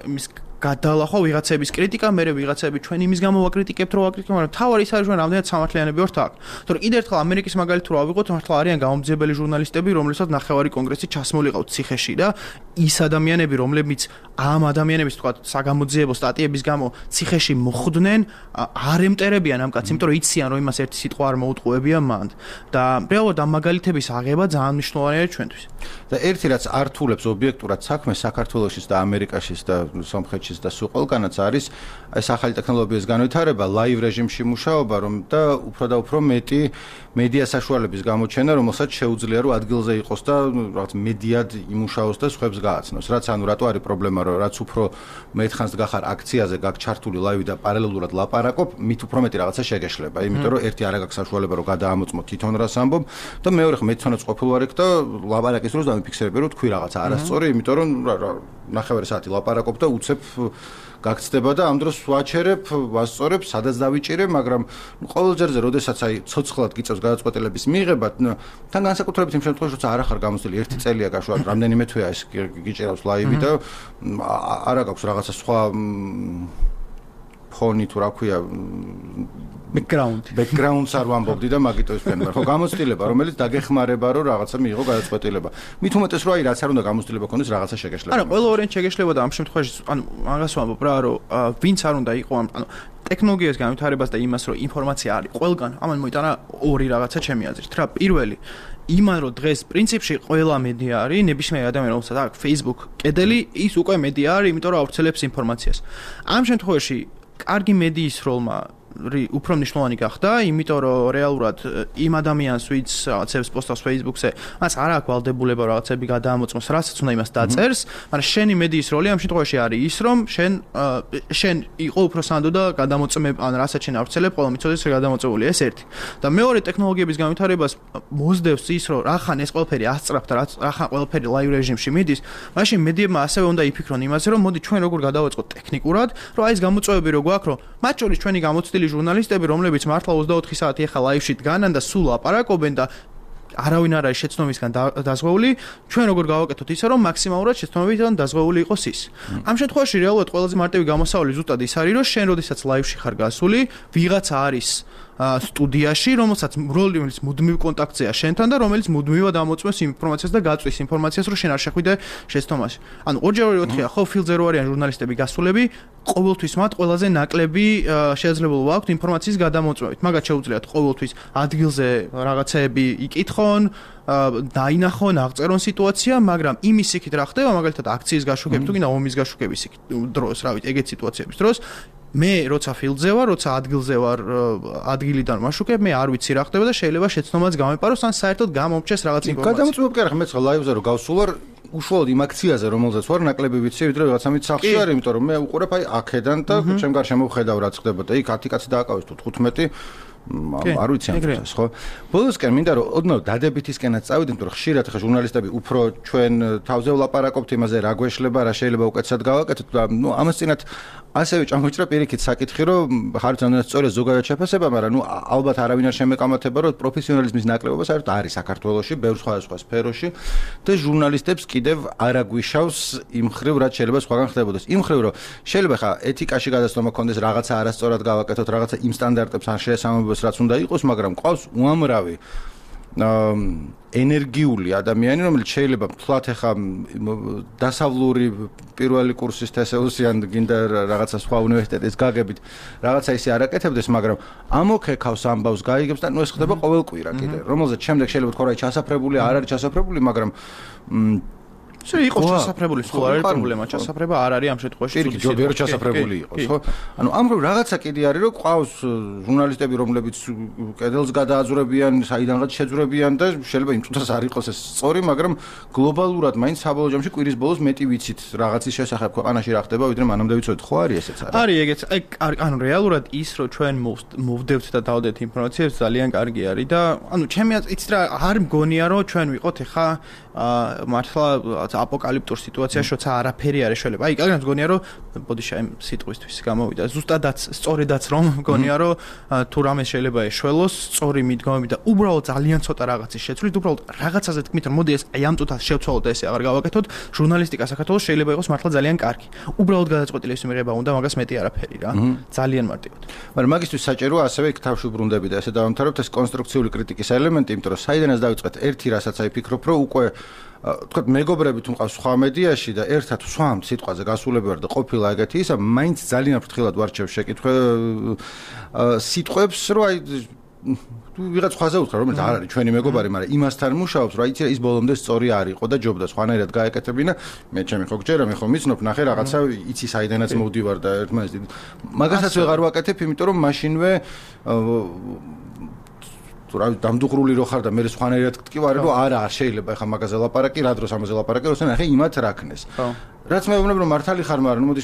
Speaker 2: იმის გადალახვა ვიღაცების კრიტიკა, მე ვიღაცები ჩვენ იმის გამო ვაკრიტიკებთ, რომ ვაკრიტიკებთ, მაგრამ თავარი ის არის, რომ რამდენად სამართლიანები ვართ აქ. თორე კიდევ ერთხელ ამერიკის მაგალითი რო ავიღოთ, მართლა არიან გამომძიებელი ჟურნალისტები, რომლებსაც ნახევარი კონგრესი ჩასმოლიყავთ ციხეში და ის ადამიანები, რომლებიც ამ ადამიანების თქვა საგამოძიებო სტატიების გამო ციხეში მოხვდნენ, არ ემტერებიან ამ კაცს, იმიტომ რომ იციან, რომ იმას ერთი სიტყვა არ მოუტყუებია მანდ. და რეალურად ამ მაგალითების აღება ძალიან მნიშვნელოვანია ჩვენთვის.
Speaker 1: და ერთი რაც ართულებს ობიექტურად საქმეს საქართველოსის და ამერიკაშიც და სომხეთში და სულ ყველგანაც არის ეს ახალი ტექნოლოგიების განვითარება, ლაივ რეჟიმში მუშაობა, რომ და უფრო და უფრო მეტი მედია საშუალების გამოჩენა, რომელსაც შეუძლია რომ ადგილზე იყოს და რაღაც მედიად იმუშაოს და სხვებს გააცნოს. რაც ანუ რატო არის პრობლემა, რომ რაც უფრო მეთხანს გახარ აქციაზე, გაკ ჩართული ლაივი და პარალელურად ლაპარაკობ, მით უფრო მეტი რაღაცა შეგეშლება. იმიტომ რომ ერთი არ აქვს საშუალება რომ გადაამოწმო თვითონ რას ამბობ და მეორე ხე მეცანაც ყოფილ ვარ იქ და ლაპარაკის დროს დამიფიქსირებ რომ თქვი რაღაცა არასწორი, იმიტომ რომ ნახევარი საათი ლაპარაკობ და უცებ გაგწდება და ამ დროს ვაჩერებ, ვასწორებ, სადაც დავიჭირე, მაგრამ ყოველ ჯერზე, როდესაც აი ცოცხლად გიწევს გადაწყვეტილების მიღება, თან განსაკუთრებით იმ შემთხვევაში, როცა არ ახარ გამოცდილი ერთი წელია გაშუალებით, რამდენიმე თვეა ეს გიჭირავს ლაივი და არა გაქვს რაღაცა სხვა ფონი თუ რა ქვია
Speaker 2: background
Speaker 1: background-ს არ ვამბობდი და მაგიტო ის ფენმარ. ხო, გამოცდილება, რომელიც დაგეხმარება, რომ რაღაცა მიიღო გადაწყვეტილება. მით უმეტეს რომ აი რაც არ უნდა გამოცდილება ქონდეს, რაღაცა შეგეშლება.
Speaker 2: არა, ყველა ორენ შეგეშლება და ამ შემთხვევაში, ანუ მაგას ვამბობ რა, რომ ვინც არ უნდა იყო ამ, ანუ ტექნოლოგიების განვითარებას და იმას, რომ ინფორმაცია არის ყველგან, ამან მოიტანა ორი რაღაცა ჩემი აზრით. რა, პირველი იმან რომ დღეს პრინციპში ყველა მედია არის, ნებისმიერ ადამიანს რომელსაც აქვს Facebook კედელი, ის უკვე მედია არის, იმიტომ რომ ავრცელებს ინფორმაციას. ამ შემთხვევაში კარგი მედიის როლმა უფრო მნიშვნელოვანი გახდა, იმიტომ რომ რეალურად იმ ადამიანს, ვინც რაღაცებს პოსტავს Facebook-ზე, მას არ აქვს ვალდებულება რაღაცები გადაამოწმოს, რასაც უნდა იმას დაწერს, მაგრამ შენი მედიის როლი ამ შემთხვევაში არის ის, რომ შენ შენ იყო უფრო სანდო და გადამოწმებ, ან რასაც შენ ავრცელებ, ყველა მიცოდეს რა გადამოწმებულია, ეს ერთი. და მეორე ტექნოლოგიების განვითარებას მოსდევს ის, რომ რახან ეს ყველაფერი ასწრაფ და რახან ყველაფერი ლაივ რეჟიმში მიდის, მაშინ მედიებმა ასევე უნდა იფიქრონ იმაზე, რომ მოდი ჩვენ როგორ გადავაწყოთ ტექნიკურად, რომ აი ეს გამოწვევები რო გვაქვს, რომ მათ შორის ჩვენი გამოცდილი ჟურნალისტები, რომლებიც მართლა ოცდაოთხი საათი ახლა ლაივში დგანან და სულ ლაპარაკობენ და არავინ არ არის შეცდომისგან დაზღვეული, ჩვენ როგორ გავაკეთოთ ისე, რომ მაქსიმალურად შეცდომებიდან დაზღვეული იყოს ის. ამ შემთხვევაში რეალურად ყველაზე მარტივი გამოსავალი ზუსტად ის არის, რომ შენ როდესაც ლაივში ხარ გასული, ვიღაცა არის სტუდიაში, რომელსაც რომელიც მუდმივ კონტაქტზეა შენთან და რომელიც მუდმივად ამოწმებს ინფორმაციას და გაწვის ინფორმაციას, რომ შენ არ შეხვიდე შეცდომაში. ანუ ორჯერ ოთხია, ხო, ფილზე რო არიან ჟურნალისტები გასულები, ყოველთვის მათ ყველაზე ნაკლები შესაძლებლობა აქვთ ინფორმაციის გადამოწმებით. მაგათ შეუძლიათ ყოველთვის ადგილზე რაღაცეები იკითხონ, დაინახონ, აღწერონ სიტუაცია, მაგრამ იმის იქით რა ხდება, მაგალითად აქციის გაშუქების თუ გინდა ომის გაშუქების დროს, რა ვიცი, ეგეთ სიტუაციების დროს მე როცა ფილდზე ვარ, როცა ადგილზე ვარ, ადგილიდან ვაშუქებ, მე არ ვიცი რა ხდება და შეიძლება შეცდომაც გამეპაროს, ან საერთოდ გამომრჩეს რაღაც ინფორმაცია.
Speaker 1: გადამოწმებ კი არა, მეც ლაივზე რო გავსულ ვარ, უშუალოდ იმ აქციაზე, რომელზეც ვარ, ნაკლები ვიცი, ვიდრე რაღაცა მით სახლში არის, იმიტომ რომ მე უყურებ აი აქედან და ჩემ გარშემო ვხედავ რა ხდებოდა. იქ ათი კაცი დააკავეს თუ თხუთმეტი არ ვიცი ამ დროს, ხო? ბოლოსკენ მინდა რომ ოდნავ დადებითისკენაც წავიდე, იმიტომ რომ ხშირად ხა ჟურნალისტები უფრო ჩვენ თავზე ვლაპარაკობთ იმაზე, რა გვეშლება, რა შეიძლება უკეთესად გავაკეთოთ და ნუ ამას წინათ ასევე ჩამოჭრა პირიქით საკითხი, რომ ხარც ამას სწორია ზოგადად შეფასება, მაგრამ ნუ ალბათ არავინ არ შემეკამათება, რომ პროფესიონალიზმის ნაკლებობა საერთოდ არის საქართველოში, ბევრ სხვადასხვა სფეროში და ჟურნალისტებს კიდევ არ აგვიშავს იმ ხრივ, რაც შეიძლება სხვაგან ხდებოდეს. იმ ხრივ, რომ შეიძლება ხა ეთიკაში გადაცდომა კონდეს, რაღაცა არასწორად გავაკეთოთ, რაღაცა იმ სტანდარტებს არ შეესაბამებოს, რაც უნდა იყოს, მაგრამ ყავს უამრავი ენერგიული ადამიანი, რომელიც შეიძლება თლათ ახლა დასავლური პირველი კურსის თესეუსი ან გინდა რაღაცა სხვა უნივერსიტეტის გაგებით რაღაცა ისე არ აკეთებდეს, მაგრამ ამოქეკავს ამბავს გაიგებს და ნუ ეს ხდება ყოველკვირა კიდე, რომელზეც შემდეგ შეიძლება თქვა რა ჩასაფრებული არ არის ჩასაფრებული, მაგრამ შეიძლება იყოს ჩასაფრებული, სხვა არ არის პრობლემა, ჩასაფრება არ არის ამ შემთხვევაში
Speaker 3: თუდი ჯობია რომ ჩასაფრებული იყოს, ხო? ანუ ამ რო რაღაცა კიდე არის, რომ ყავს ჟურნალისტები, რომლებიც კედელს გადააძვრებიან, საიდანღაც შეძვრებიან და შეიძლება იმ წუთას არ იყოს ეს სწორი, მაგრამ გლობალურად მაინც საბოლოო ჯამში კვირის ბოლოს მეტი ვიცით რაღაცის შესახებ ქვეყანაში რა ხდება, ვიდრე მანამდე ვიცოდით, ხო არის ესეც არა?
Speaker 2: არის ეგეც, აი ანუ რეალურად ის რომ ჩვენ მოვდევთ და დავდეთ ინფორმაციას ძალიან კარგი არის და ანუ ჩემი იცით რა არ მგონია რომ ჩვენ ვიყოთ ახლა მართლა აპოკალიფტურ სიტუაციაში, როცა არაფერი არ ეშველება. აი, კარგად მგონია, რომ ბოდიშა იმ სიტყვისთვის გამოვიდა. ზუსტადაც, სწორედაც რომ მგონია, რომ თუ რამე შეიძლება ეშველოს, სწორი მიდგომები და უბრალოდ ძალიან ცოტა რაღაცის შეცვლით, უბრალოდ რაღაცაზე თქმით, რომ მოდი ეს აი ამ წუთას შევცვალოთ და ესე აღარ გავაკეთოთ, ჟურნალისტიკა საქართველოს შეიძლება იყოს მართლა ძალიან კარგი. უბრალოდ გადაწყვეტილების მიღება უნდა, მაგას მეტი არაფერი რა. ძალიან მარტივად.
Speaker 1: მაგრამ მაგისთვის საჭიროა ასევე იქ თავში ბრუნდები და ესე დავამთავრებთ ეს კონსტრუქციული კრიტიკის ელემენტი, იმიტომ რომ საიდანაც დავიწყეთ ერთი რასაც აი ფიქრობ, რომ უკვე თქვათ მეგობრები თუ მყავს სხვა მედიაში და ერთად სვამ სიტყვაზე გასულები ვარ და ყოფილა ეგეთი ისა, მაინც ძალიან ფრთხილად ვარჩევ შეკითხვე სიტყვებს, რომ აი თუ ვიღაც სხვაზე უთხრა, რომელიც არ არის ჩვენი მეგობარი, მაგრამ იმასთან მუშაობს, რომ იცი ის ბოლომდე სწორი არ იყო და ჯობდა სხვანაირად გაეკეთებინა, მე ჩემი ხო გჯერა, მე ხო მიცნობ, ნახე რაღაცა იცი საიდანაც მოვდივარ და ერთმანეთს მაგასაც ვეღარ ვაკეთებ, იმიტომ რომ მაშინვე რა დამდუღრული რო ხარ და მე სხვანაირად გტკივარი რომ არა არ შეიძლება ეხა მაგაზე ლაპარაკი, რა დროს ამაზე ლაპარაკი, როცა ნახე იმათ რაკნეს. რაც მე ვუბრუნებ რომ მართალი ხარ, მაგრამ მოდი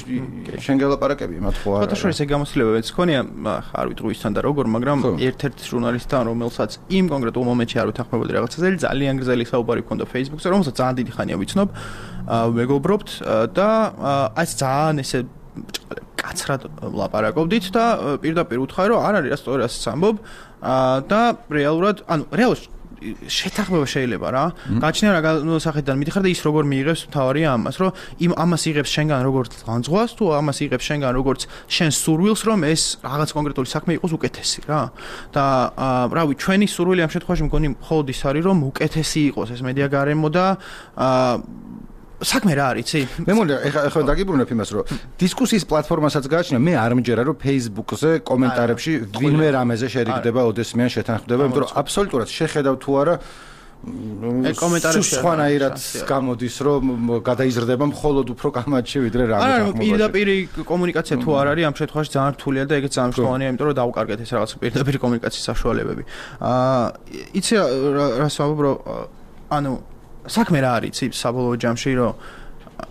Speaker 1: შენ გელაპარაკები იმათ ხო არა.
Speaker 2: ფოტოშოპის ეგ გამოცდილებებიც ხონია, არ ვიტყვი ისთან და როგორ, მაგრამ ერთ-ერთ ჟურნალისტთან, რომელსაც იმ კონკრეტულ მომენტში არ უთანხმებოდი რაღაცაზე, ძალიან გრძელი საუბარი ჰქონდა Facebook-ზე, რომელსაც ძალიან დიდი ხანია ვიცნობ, მეგობრობთ და აი ძალიან ესე კაცრად ლაპარაკობდით და პირდაპირ უთხრა რომ არ არის რა სწორი ასე ამბობ და რეალურად ანუ რეალურად შეთანხმება შეიძლება რა. გაჩნია რა სახედიდან მიდიხარ და ის როგორ მიიღებს თავარია ამას, რომ იმ ამას იღებს შენგან როგორც განძღვას თუ ამას იღებს შენგან როგორც შენ სურვილს, რომ ეს რაღაც კონკრეტული საქმე იყოს უკეთესი რა. და რავი, ჩვენი სურვილი ამ შემთხვევაში მგონი მხოლოდ ის არის, რომ უკეთესი იყოს ეს მედია გარემო და საქმე რა არის, იცი?
Speaker 1: მე მგონი ეხლა ეხლა დაგიბრუნებ იმას, რომ დისკუსიის პლატფორმასაც გააჩნია, მე არ მჯერა, რომ Facebook-ზე კომენტარებში ვინმე რამეზე შერიგდება, ოდესმეან შეთანხმდება, იმიტომ რომ აბსოლუტურად შეხედავ თუ არა
Speaker 2: კომენტარებში
Speaker 1: სხვანაირად გამოდის, რომ გადაიზრდება მხოლოდ უფრო კამათში ვიდრე რამე
Speaker 2: თანხმობაში. არა, პირდაპირი კომუნიკაცია თუ არ არის, ამ შემთხვევაში ძალიან რთულია და ეგეც ძალიან მნიშვნელოვანია, იმიტომ რომ დავუკარგეთ ეს რაღაც პირდაპირი კომუნიკაციის საშუალებები. აა იცი რა საუბრო, ანუ საქმე რა არის, იცი, საბოლოო ჯამში, რომ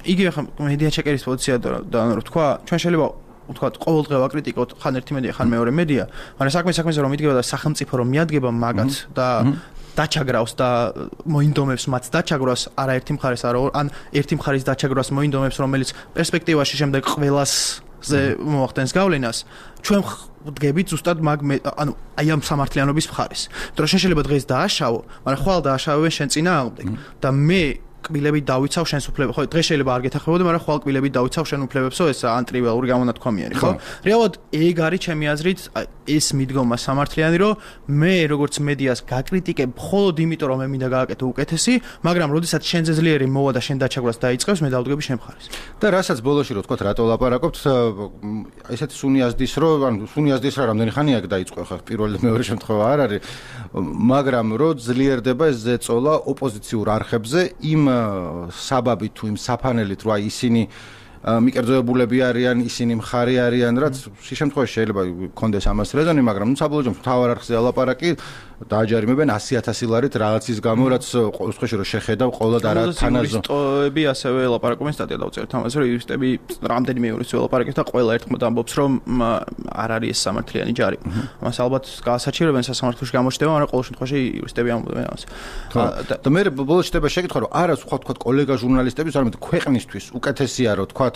Speaker 2: იგივე ხა მედია ჩეკერის პოზიცია და რომ თქვა, ჩვენ შეიძლება ვთქვათ, ყოველდღე ვაკრიტიკოთ ხან ერთი მედია, ხან მეორე მედია, მაგრამ საქმე საქმეზე რომ მიდგება და სახელმწიფო რომ მიადგება მაგათ და დაჩაგრავს და მოინდომებს მათ დაჩაგრავს არაერთი მხარეს არა ან ერთი მხარის დაჩაგრავს მოინდომებს, რომელიც პერსპექტივაში შემდეგ ყველას ზე მოახდენს გავლენას, ჩვენ დგებით ზუსტად მაგ ანუ აი ამ სამართლიანობის მხარეს. იმიტომ რომ შენ შეიძლება დღეს დააშავო, მაგრამ ხვალ დააშავებენ შენ წინააღმდეგ და მე კბილებით დავიცავ შენს უფლებებს. ხო, დღეს შეიძლება არ გეთახმებოდე, მაგრამ ხვალ კბილებით დავიცავ შენ უფლებებსო, ეს ანტრივალური გამონათქვამიანი, ხო? რეალურად ეგ არის ჩემი აზრით ეს მიდგომა სამართლიანი, რომ მე როგორც მედიას გაკრიტიკებ მხოლოდ იმიტომ, რომ მე მინდა გააკეთო უკეთესი, მაგრამ როდესაც შენზე ძლიერი მოვა და შენ დაჩაგვრას დაიწყებს, მე დავდგები შენ მხარეს.
Speaker 1: და რასაც ბოლოში რო თქვა რატო ლაპარაკობთ, ესეთი სუნიაზდის რო, ანუ სუნიაზდის რა რამდენი ხანია აქ დაიწყო ხა პირველ და მეორე შემთხვევა არ არის, მაგრამ რო ძლიერდება ეს ზეწოლა ოპოზიციურ არხებზე იმ საბაბით თუ იმ საფანელით რომ აი ისინი მიკერძოებულები არიან, ისინი მხარი არიან, რაც შემთხვევაში შეიძლება კონდეს ამას რეზონი, მაგრამ ნუ საბოლოო მთავარ არხზე ალაპარაკი დააჯარიმებენ ასი ათასი ლარით რაღაცის გამო, რაც ყოველ შემთხვევაში რომ შეხედავ ყოველად არა თანაზო.
Speaker 2: იურისტები ასევე ლაპარაკობენ სტატია დავწერთ ამაზე, რომ იურისტები რამდენიმე იურისტი ველაპარაკებს და ყველა ერთხმად ამბობს, რომ არ არის ეს სამართლიანი ჯარი. მას ალბათ გაასაჩივრებენ სასამართლოში გამოჩნდება, მაგრამ ყოველ შემთხვევაში იურისტები ამბობენ ამას.
Speaker 1: და მე ბოლოს შეიძლება შეკითხვა, რომ არა სხვა თქვა კოლეგა ჟურნალისტების, არამედ ქვეყნისთვის უკეთესია რომ თქვა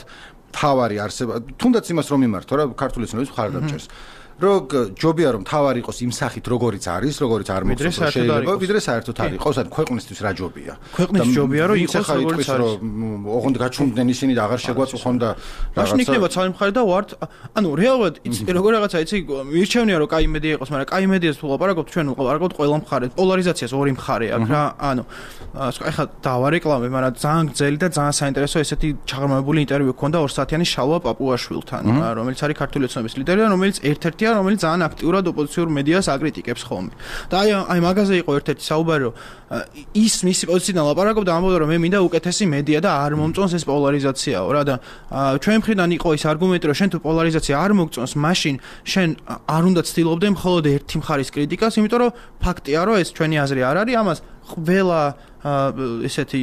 Speaker 1: თავარი არსება, თუნდაც იმას რომ მიმართო რა ქართული ცნობის მხარდამჭერს. რომ ჯობია რომ თავარი იყოს იმ სახით როგორიც არის, როგორიც არ მოხდება შეიძლება, ვიდრე საერთოდ არ იყოს, ან ქვეყნისთვის რა ჯობია.
Speaker 2: ქვეყნის ჯობია რომ იყოს როგორც არის.
Speaker 1: ოღონდ გაჩუმდნენ ისინი და აღარ შეგვაწუხონ და
Speaker 2: რაღაცა. იქნება ცალ მხარე და ვართ, ანუ რეალურად იცი როგორ რაღაცა იცი, მირჩევნია რომ კაი მედია იყოს, მაგრამ კაი მედიას თუ ლაპარაკობთ, ჩვენ ვყავარაკობთ ყველა მხარე. პოლარიზაციას ორი მხარე აქვს რა, ანუ ეხლა დავარეკლამე, მაგრამ ძალიან გრძელი და ძალიან საინტერესო ესეთი ჩაღრმავებული ინტერვიუ ჰქონდა ორ საათიანი შალვა პაპუაშვილთან, რომელიც არის ქართული ოცნების ლიდერი და რომელიც ერთ-ერთი რომელიც ძალიან აქტიურად ოპოზიციურ მედიას აკრიტიკებს ხოლმე. და აი აი მაგაზე იყო ერთ-ერთი საუბარი, რომ ის მისი პოზიციიდან ლაპარაკობდა, ამბობდა, რომ მე მინდა უკეთესი მედია და არ მომწონს ეს პოლარიზაციაო რა და ჩვენ მხრიდან იყო ის არგუმენტი, რომ შენ თუ პოლარიზაცია არ მოგწონს, მაშინ შენ არ უნდა ცდილობდე მხოლოდ ერთი მხარის კრიტიკას, იმიტომ რომ ფაქტია, რომ ეს ჩვენი აზრი არ არის, ამას ყველა ესეთი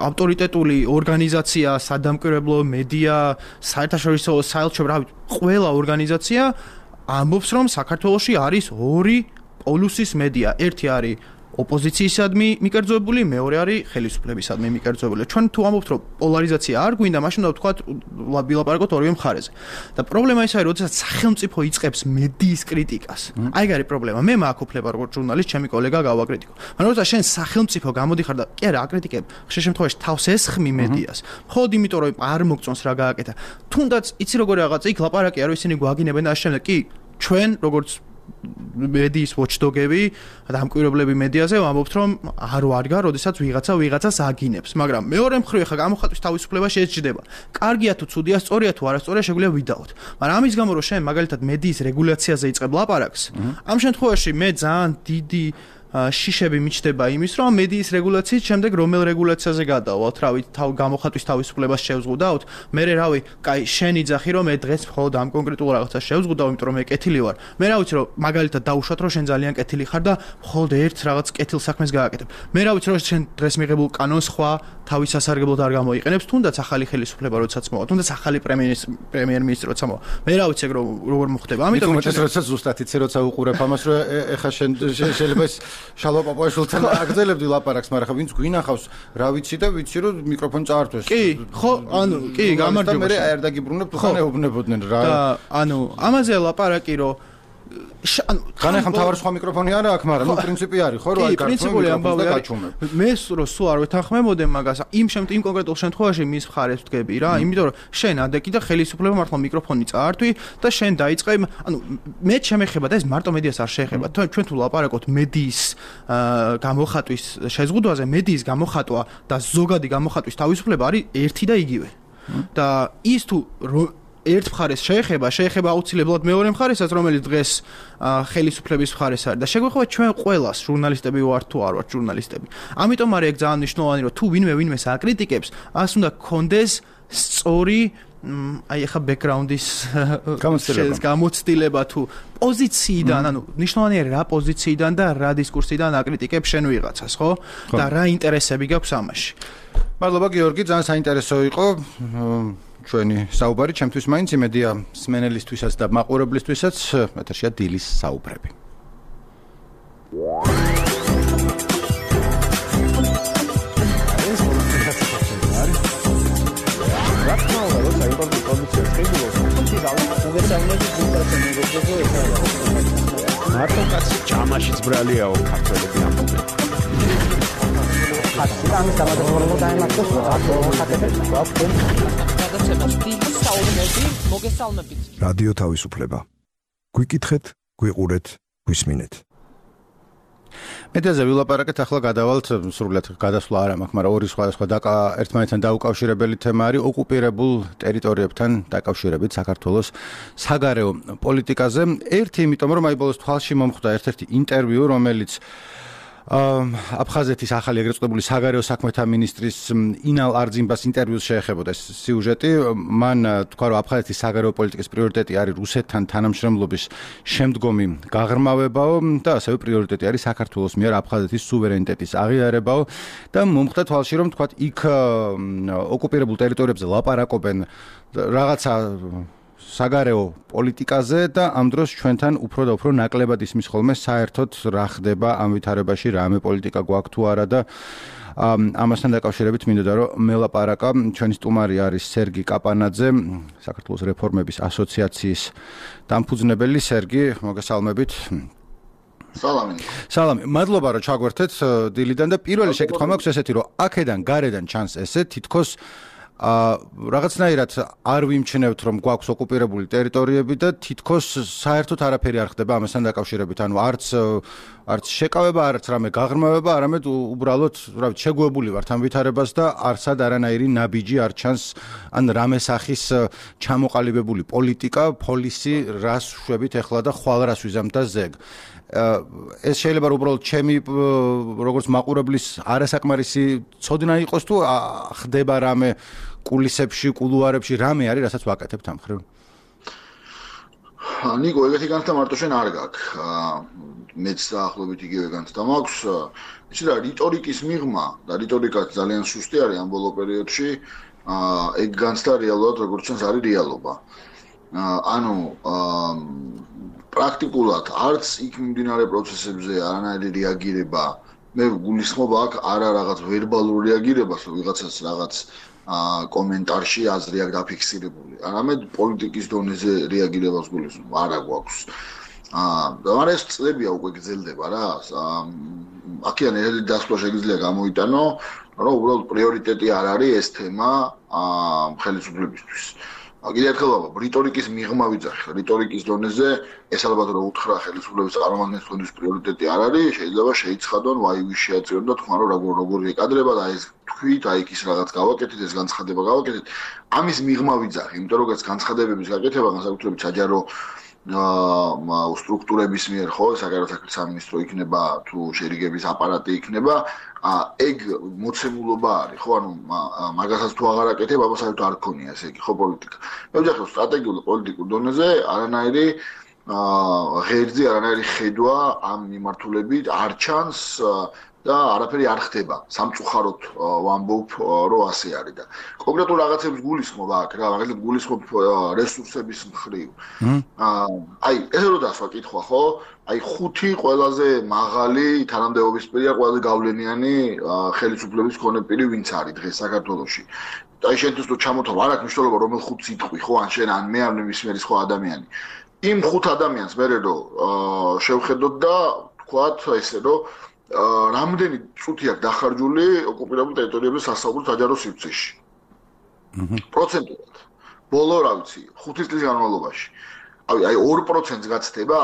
Speaker 2: ავტორიტეტული ორგანიზაცია, სადამკვირვებლო მედია, საერთაშორისო საელჩო, რა ვიცი, ყველა ორგანიზაცია ამბობს, რომ საქართველოში არის ორი პოლუსის მედია. ერთი არის ოპოზიციისადმი მიკერძოებული, მეორე არის ხელისუფლებისადმი მიკერძოებული. ჩვენ თუ ამბობთ, რომ პოლარიზაცია არ გვინდა, მაშინ უნდა ვთქვათ, ვილაპარაკოთ ორივე მხარეზე. და პრობლემა ის არის, როდესაც სახელმწიფო იწყებს მედიის კრიტიკას. აი, გარი პრობლემა. მე მაქვს უფლება როგორც ჟურნალისტ, ჩემი კოლეგა გავაკრიტიკო. მაგრამ როდესაც შენ სახელმწიფო გამოდიხარ და კი არა აკრიტიკებ, ხშირ შემთხვევაში თავს ესხმი მედიას. მხოლოდ იმიტომ, რომ არ მოგწონს რა გააკეთა. თუნდაც იცი როგორი რაღაცა იქ ლაპარაკია, რომ ისინი გვაგინებენ და ამავდროულად კი ჩვენ როგორც მედიის watchdog-ები და ამკვირვებლები მედიაზე ვამბობთ, რომ არ ვარგა, როდესაც ვიღაცა ვიღაცას აგინებს, მაგრამ მეორე მხრივ ხა გამოხატვის თავისუფლება შეეჭდება. კარგია თუ ცუდია, სწორია თუ არასწორია, შეგვიძლია ვიდაოთ. მაგრამ ამის გამო რომ შენ მაგალითად მედიის რეგულაციაზე იწყებ ლაპარაკს, ამ შემთხვევაში მე ძალიან დიდი შიშები მიჩნდება იმის, რომ მედიის რეგულაციის შემდეგ რომელ რეგულაციაზე გადავალთ, რავი, თავ გამოხატვის თავისუფლებას შევზღუდავთ. მე რავი, კაი, შენ იძახი, რომ მე დღეს მხოლოდ ამ კონკრეტულ რაღაცას შევზღუდავ, იმიტომ რომ მე კეთილი ვარ. მე რა ვიცი, რომ მაგალითად დაუშვათ, რომ შენ ძალიან კეთილი ხარ და მხოლოდ ერთ რაღაც კეთილ საქმეს გააკეთებ. მე რა ვიცი, რომ შენ დღეს მიღებულ კანონს სხვა თავის სასარგებლოდ არ გამოიყენებს, თუნდაც ახალი ხელისუფლება როდესაც მოვა, თუნდაც ახალი პრემიერ-მინისტრი როცა მოვა. მე რა ვიცი, რომ როგორ მოხდება. ამიტომ
Speaker 1: მეც როდესაც ზუსტად იცი, როცა უყურებ ამას, რომ ეხა შენ შეიძლება შალვა პაპუაშვილთან აგრძელებდი ლაპარაკს, მაგრამ ხა ვინც გვინახავს, რა ვიცი და ვიცი რომ მიკროფონი წაართვეს.
Speaker 2: კი, ხო, ანუ კი, გამარჯობა.
Speaker 1: მე არ დაგიბრუნებ, თუ ხან ეუბნებოდნენ რა.
Speaker 2: და ანუ ამაზე ლაპარაკი რომ ანუ
Speaker 1: ხან ახლა მთავარი სხვა მიკროფონი არა აქვს, მაგრამ ნუ პრინციპი არის, ხო, რომ აი
Speaker 2: პრინციპული ამბავი არის. მე რო სულ არ ვეთანხმებოდე მაგას, იმ იმ კონკრეტულ შემთხვევაში მის მხარეს ვდგები რა, იმიტომ რომ შენ ადეკი და ხელისუფლება მართლა მიკროფონი წაართვი და შენ დაიწყე, ანუ მე შემეხება და ეს მარტო მედიას არ შეეხება. ჩვენ თუ ლაპარაკობთ მედიის გამოხატვის შეზღუდვაზე, მედიის გამოხატვა და ზოგადი გამოხატვის თავისუფლება არის ერთი და იგივე. და ის თუ ერთ მხარეს შეეხება, შეეხება აუცილებლად მეორე მხარესაც, რომელიც დღეს ხელისუფლების მხარეს არის და შეგვეხება ჩვენ ყველას, ჟურნალისტები ვართ თუ არ ვართ ჟურნალისტები. ამიტომ არის ეგ ძალიან მნიშვნელოვანი, რომ თუ ვინმე ვინმეს აკრიტიკებს, ას უნდა კონდეს სწორი აი ახლა ბექგრაუნდის გამოცდილება თუ პოზიციიდან, ანუ მნიშვნელოვანია რა პოზიციიდან და რა დისკურსიდან აკრიტიკებს შენ ვიღაცას, ხო? და რა ინტერესები გაქვს ამაში.
Speaker 1: მადლობა გიორგი, ძალიან საინტერესო იყო ჩვენი საუბარი, ჩემთვის მაინც იმედია სმენელისთვისაც და მაყურებლისთვისაც ეთერშია დილის საუბრები. რა თქმა უნდა, როცა იმპორტის პროდუქცია შეგვიძლია, თუმცა
Speaker 4: მოგესალმებით გულწრფელ მეგობრებო,
Speaker 5: მარტო კაცი ჯამაშიც ბრალიაო ქართველები ამბობენ.
Speaker 4: ხატი გამოდაიმართოს ახლა ხატებს გვაქვს. გადაცემას დიდი საუბნები მოგესალმებით.
Speaker 6: რადიო თავისუფლება. გვიკითხეთ, გვიყურეთ, გვისმინეთ.
Speaker 1: მედიაზე ვილაპარაკეთ, ახლა გადავალთ სრულად გადასვლა არ მაქვს, მაგრამ ორი სხვადასხვა ერთმანეთთან დაუკავშირებელი თემა არის ოკუპირებულ ტერიტორიებთან დაკავშირებით საქართველოს საგარეო პოლიტიკაზე. ერთი, იმიტომ რომ აი ბოლოს თვალში მომხვდა ერთ-ერთი ინტერვიუ, რომელიც აფხაზეთის ახალი ეგრეთ წოდებული საგარეო საქმეთა მინისტრის ინალ არძიმბას ინტერვიუს შეეხებოდა ეს სიუჟეტი. მან თქვა, რომ აფხაზეთის საგარეო პოლიტიკის პრიორიტეტი არის რუსეთთან თანამშრომლობის შემდგომი გაღრმავებაო და ასევე პრიორიტეტი არის საქართველოს მიერ აფხაზეთის სუვერენიტეტის აღიარებაო და მომხდა თვალში, რომ თქვა იქ ოკუპირებულ ტერიტორიებზე ლაპარაკობენ რაღაცა საგარეო პოლიტიკაზე და ამ დროს ჩვენთან უფრო და უფრო ნაკლებად ისმის ხოლმე საერთოდ რა ხდება ამ ვითარებაში, რამე პოლიტიკა გვაქვს თუ არა და ამასთან დაკავშირებით მინდოდა რომ მელაპარაკა ჩვენი სტუმარი არის სერგი კაპანაძე, საქართველოს რეფორმების ასოციაციის დამფუძნებელი. სერგი, მოგესალმებით.
Speaker 7: სალამი.
Speaker 1: სალამი. მადლობა რომ ჩაგვერთეთ დილიდან და პირველი შეკითხვა მაქვს ესეთი რომ აქედან გარედან ჩანს ესე თითქოს აა რაღაცნაირად არ ვიმჩნევთ რომ გვაქვს ოკუპირებული ტერიტორიები და თითქოს საერთოდ არაფერი არ ხდება ამასთან დაკავშირებით. ანუ არც არც შეკავება, არც რამე გაღრმავება, არამედ უბრალოდ, რა ვიცი, შეგვებული ვართ ამ ვითარებას და არცად არანაირი ნაბიჯი არ ჩანს ან რამე სახის ჩამოყალიბებული პოლიტიკა, პოლისი, რას შვებით ახლა და ხვალ რას ვიზამ და ზეგ. ეს შეიძლება უბრალოდ ჩემი როგორც მაყურებლის არასაკმარისი ცოდნა იყოს თუ ხდება რამე კულისებში, კულუარებში რამე არის, რასაც ვაკეთებთ ამ ხრივ?
Speaker 7: ნიკო, ეგეთი განცდა მარტო შენ არ გაქვს. მეც დაახლოებით იგივე განცდა მაქვს. იცი რა, რიტორიკის მიღმა და რიტორიკაც ძალიან სუსტი არის ამ ბოლო პერიოდში. ეგ განცდა რეალურად როგორც ჩანს არის რეალობა. ანუ პრაქტიკულად არც იქ მიმდინარე პროცესებზე არანაირი რეაგირება. მე გულისხმობ აქ არა რაღაც ვერბალურ რეაგირებას, რომ ვიღაცას რაღაც კომენტარში აზრი აქვს დაფიქსირებული. არამედ პოლიტიკის დონეზე რეაგირებას გულისხმობ, არა გვაქვს. აა, ეს წლებია უკვე გრძელდება რა. აქედან ერთი დასკვნა შეიძლება გამოიტანო, რომ უბრალოდ პრიორიტეტი არ არის ეს თემა აა ხელისუფლებისთვის. კიდევ ერთხელ ვამბობ, რიტორიკის მიღმა ვიძახი, რიტორიკის დონეზე ეს ალბათ რომ უთხრა ხელისუფლების წარმომადგენლებს თქვენთვის პრიორიტეტი არ არის, შეიძლება შეიცხადონ, ვაი ვის შეაწირონ და თქვენ როგორ როგორ ეკადრება და ეს თქვით, აი ის რაღაც გავაკეთეთ, ეს განცხადება გავაკეთეთ. ამის მიღმა ვიძახი, იმიტომ რომ ეს განცხადებების გაკეთება განსაკუთრებით საჯარო აა სტრუქტურების მიერ ხო, საგარეო საქმეთა სამინისტრო იქნება თუ შერიგების აპარატი იქნება, ეგ მოცემულობა არის, ხო, ანუ მაგასაც თუ აღარ აკეთებ, აბა საერთოდ არ გქონია ესე იგი, ხო, პოლიტიკა. მე ვიძახი სტრატეგიულ პოლიტიკურ დონეზე არანაირი აა ღერძი, არანაირი ხედვა ამ მიმართულებით არ ჩანს და არაფერი არ ხდება. სამწუხაროდ ვამბობ, რომ ასე არის და კონკრეტულ რაღაცებს გულისხმობ აქ რა, მაგალითად გულისხმობ რესურსების მხრივ. აა აი, ესე რომ დასვა კითხვა, ხო? აი ხუთი ყველაზე მაღალი თანამდებობის პირია, ყველაზე გავლენიანი ხელისუფლების მქონე პირი ვინც არის დღეს საქართველოში. აი შენთვის თუ ჩამოთვალ, არ აქვს მნიშვნელობა რომელ ხუთს იტყვი, ხო, ან შენ ან მე ან მის მიერ სხვა ადამიანი. იმ ხუთ ადამიანს მე რო შევხედოთ და ვთქვათ ესე რომ რამდენი წუთი აქვს დახარჯული ოკუპირებულ ტერიტორიებზე სასაუბრო საჯარო სივრცეში. პროცენტულად. ბოლო რა ვიცი, ხუთი წლის განმავლობაში. აი ორ პროცენტს გაცდება?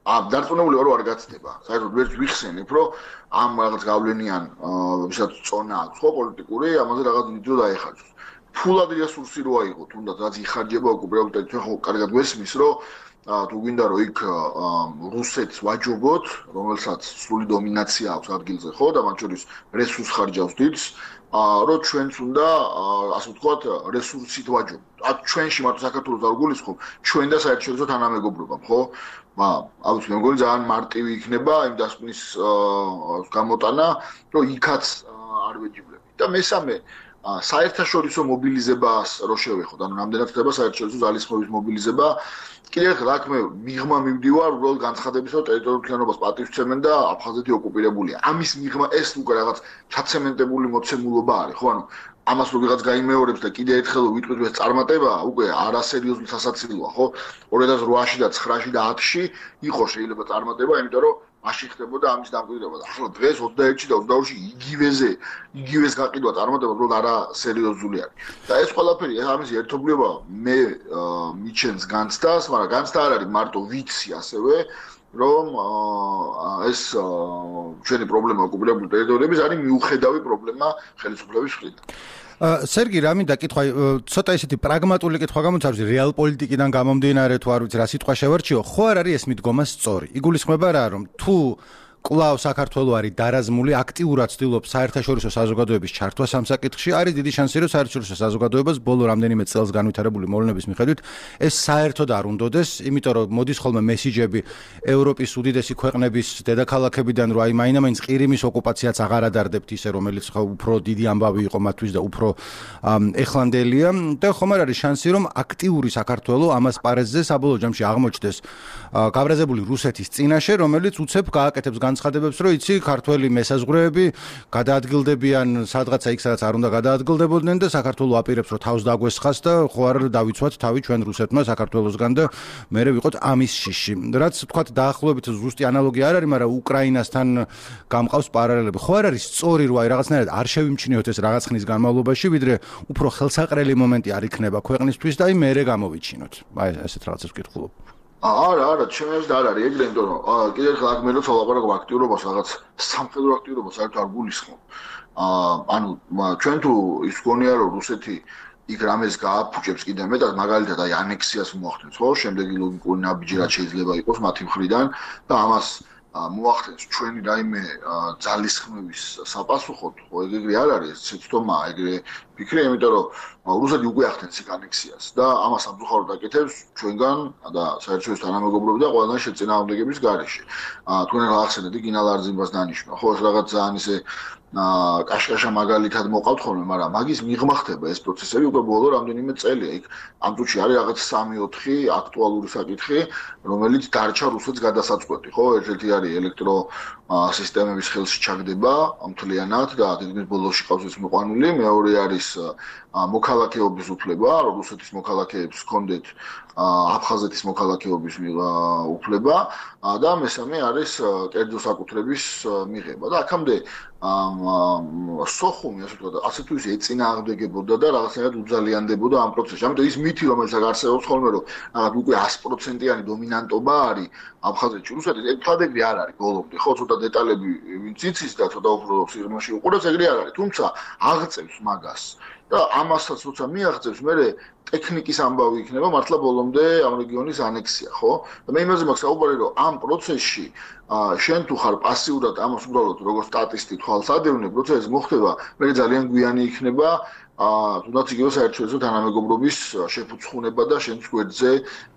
Speaker 7: ამ დარწმუნებული ვარ, რომ არ გაცდება. საერთოდ ვერც ვიხსენებ, რომ ამ რაღაც გავლენიან ვისაც წონა აქვს, ხო, პოლიტიკური, ამაზე რაღაც დიდრო დაეხარჯოს. ფულად რესურსი რო აიღო, თუნდაც რაც იხარჯება ოკუპირებულ ტერიტორიებში, ხო, კარგად გვესმის, რომ თუ გვინდა რომ იქ რუსეთს ვაჯობოთ, რომელსაც სრული დომინაცია აქვს ადგილზე, ხო, და მათ შორის რესურს ხარჯავს დიდს, რომ ჩვენც უნდა, ასე ვთქვათ, რესურსით ვაჯობოთ. აქ ჩვენში მარტო საქართველოს არ გულისხმობ, ჩვენ და საერთაშორისო თანამეგობრობამ, ხო? ალბათ მე მგონი ძალიან მარტივი იქნება იმ დასკვნის გამოტანა, რომ იქაც არ ვეჯიბრებით. და მესამე საერთაშორისო მობილიზებას რო შევეხოთ, ანუ რამდენად ხდება საერთაშორისო ძალისხმევის მობილიზება, კიდევ ერთხელ აქ მე მიღმა მივდივარ უბრალოდ განცხადების, რომ ტერიტორიულ მთლიანობას პატივს ცემენ და აფხაზეთი ოკუპირებულია. ამის მიღმა ეს უკვე რაღაც ჩაცემენტებული მოცემულობა არის, ხო, ანუ ამას რო ვიღაც გაიმეორებს და კიდევ ერთხელ ვიტყვით ეს წარმატება, უკვე არასერიოზული სასაცილოა, ხო? ორი ათას რვაში და ცხრაში და ათში იყო შეიძლება წარმატება, იმიტომ რომ მაშინ ხდებოდა ამის დამკვიდრება. ახლა დღეს ოცდაერთში და ოცდაორში იგივეზე, იგივეს გაყიდვა წარმატება უბრალოდ არასერიოზული არის. და ეს ყველაფერი ამის ერთობლიობა მე მიჩენს განცდას, მაგრამ განცდა არ არის მარტო ვიცი ასევე, რომ ეს ჩვენი პრობლემა ოკუპირებული ტერიტორიების არის მიუხედავი პრობლემა ხელისუფლების მხრიდან.
Speaker 1: სერგი, რა მინდა კითხვა, ცოტა ისეთი პრაგმატული კითხვა გამოწარვს, რეალ პოლიტიკიდან გამომდინარე თუ არ ვიცი რა სიტყვა შევარჩიო, ხო არ არის ეს მიდგომა სწორი. იგულისხმება რა, რომ თუ კვლავ საქართველო არის დარაზმული, აქტიურად ცდილობს საერთაშორისო საზოგადოების ჩართვას ამ საკითხში, არის დიდი შანსი, რომ საერთაშორისო საზოგადოებას ბოლო რამდენიმე წელს განვითარებული მოვლენების მიხედვით ეს საერთოდ არ უნდოდეს, იმიტომ რომ მოდის ხოლმე მესიჯები ევროპის უდიდესი ქვეყნების დედაქალაქებიდან, რომ აი მაინდა-მაინც ყირიმის ოკუპაციაც აღარ ადარდებთ ისე, რომელიც უფრო დიდი ამბავი იყო მათთვის და უფრო ეხლანდელია და ხომ არ არის შანსი, რომ აქტიური საქართველო ამას პარეზზე საბოლოო ჯამში აღმოჩნდეს გაბრაზებული რუსეთის წინაშე, რომელიც უცებ გააკეთებს განცხადებებს, რომ იცი, ქართველი მესაზღვრეები გადაადგილდებიან სადღაცა იქ, სადაც არ უნდა გადაადგილდებოდნენ და საქართველო აპირებს, რომ თავს დაგვესხას და ხო არ დავიცვათ თავი ჩვენ რუსეთმა საქართველოსგან და მერე ვიყოთ ამის შიში. რაც თქვათ დაახლოებით ზუსტი ანალოგია არ არის, მაგრამ უკრაინასთან გამყავს პარალელები. ხო არ არის სწორი, რომ აი რაღაცნაირად არ შევიმჩნიოთ ეს რაღაც ხნის განმავლობაში, ვიდრე უფრო ხელსაყრელი მომენტი არ იქნება ქვეყნისთვის და აი მერე გამოვიჩინოთ. აი ესეთ რაღაცებს ვკითხულობ.
Speaker 7: არა, არა, ჩემს და არ არის ეგრე, იმიტომ რომ კიდევ ერთხელ აქ მე რო ცალაპარაკობ აქტიურობას, რაღაც სამხედრო აქტიურობას საერთოდ არ გულისხმობ. აა ანუ ჩვენ თუ ის გონია რომ რუსეთი იქ რამეს გააფუჭებს კიდე მეტად, მაგალითად აი ანექსიას მოახდენს, ხო? შემდეგი ლოგიკური ნაბიჯი რაც შეიძლება იყოს მათი მხრიდან და ამას მოახდენს ჩვენი რაიმე ძალისხმევის საპასუხოდ, ხო, ეგრე არ არის, შეცდომა ეგრე ფიქრი, იმიტომ რომ რუსეთი უკვე ახდენს იქ ანექსიას და ამას სამწუხაროდ აკეთებს ჩვენგან და საერთაშორისო თანამეგობრები და ყველგან შეწინააღმდეგების გარეშე. თქვენ ახსენეთ გინალ არძიმბას დანიშნვა, ხო, ეს რაღაც ძალიან ისე კაშკაშა მაგალითად მოყავთ ხოლმე, მაგრამ მაგის მიღმა ხდება ეს პროცესები უკვე ბოლო რამდენიმე წელია. იქ ამ წუთში არის რაღაც სამი ოთხი აქტუალური საკითხი, რომელიც დარჩა რუსეთს გადასაწყვეტი, ხო? ერთ-ერთი არის ელექტრო სისტემების ხელში ჩაგდება მთლიანად და დიდმის ბოლოში ყავს ეს მოყვანილი, მეორე არის მოქალაქეობის უფლება, რომ რუსეთის მოქალაქეებს ჰქონდეთ აფხაზეთის მოქალაქეობის უფლება და მესამე არის კერძო საკუთრების მიღება და აქამდე სოხუმი ასე ვთქვათ, ასე თუ ისე ეწინააღმდეგებოდა და რაღაცნაირად უძალიანდებოდა ამ პროცესში. ამიტომ ის მითი, რომელიც არსებობს ხოლმე, რომ რაღაც უკვე sto პროცენტიანი დომინანტობა არის აფხაზეთში რუსეთის, ეს თქვა ეგრე არ არის ბოლომდე, ხო, ცოტა დეტალები ვინც იცის და ცოტა უფრო სიღრმეში უყურებს, ეგრე არ არის, თუმცა აღწევს მაგას. და ამასაც როცა მიაღწევს, მე ტექნიკის ამბავი იქნება მართლა ბოლომდე ამ რეგიონის ანექსია, ხო? და მე იმაზე მაქვს საუბარი, რომ ამ პროცესში შენ თუ ხარ პასიურად ამას უბრალოდ როგორც სტატისტი თვალს ადევნებ, როცა ეს მოხდება, მე ძალიან გვიანი იქნება აა თუნდაც იგივე საერთაშორისო თანამეგობრობის შეფუცხუნება და შენს გვერდზე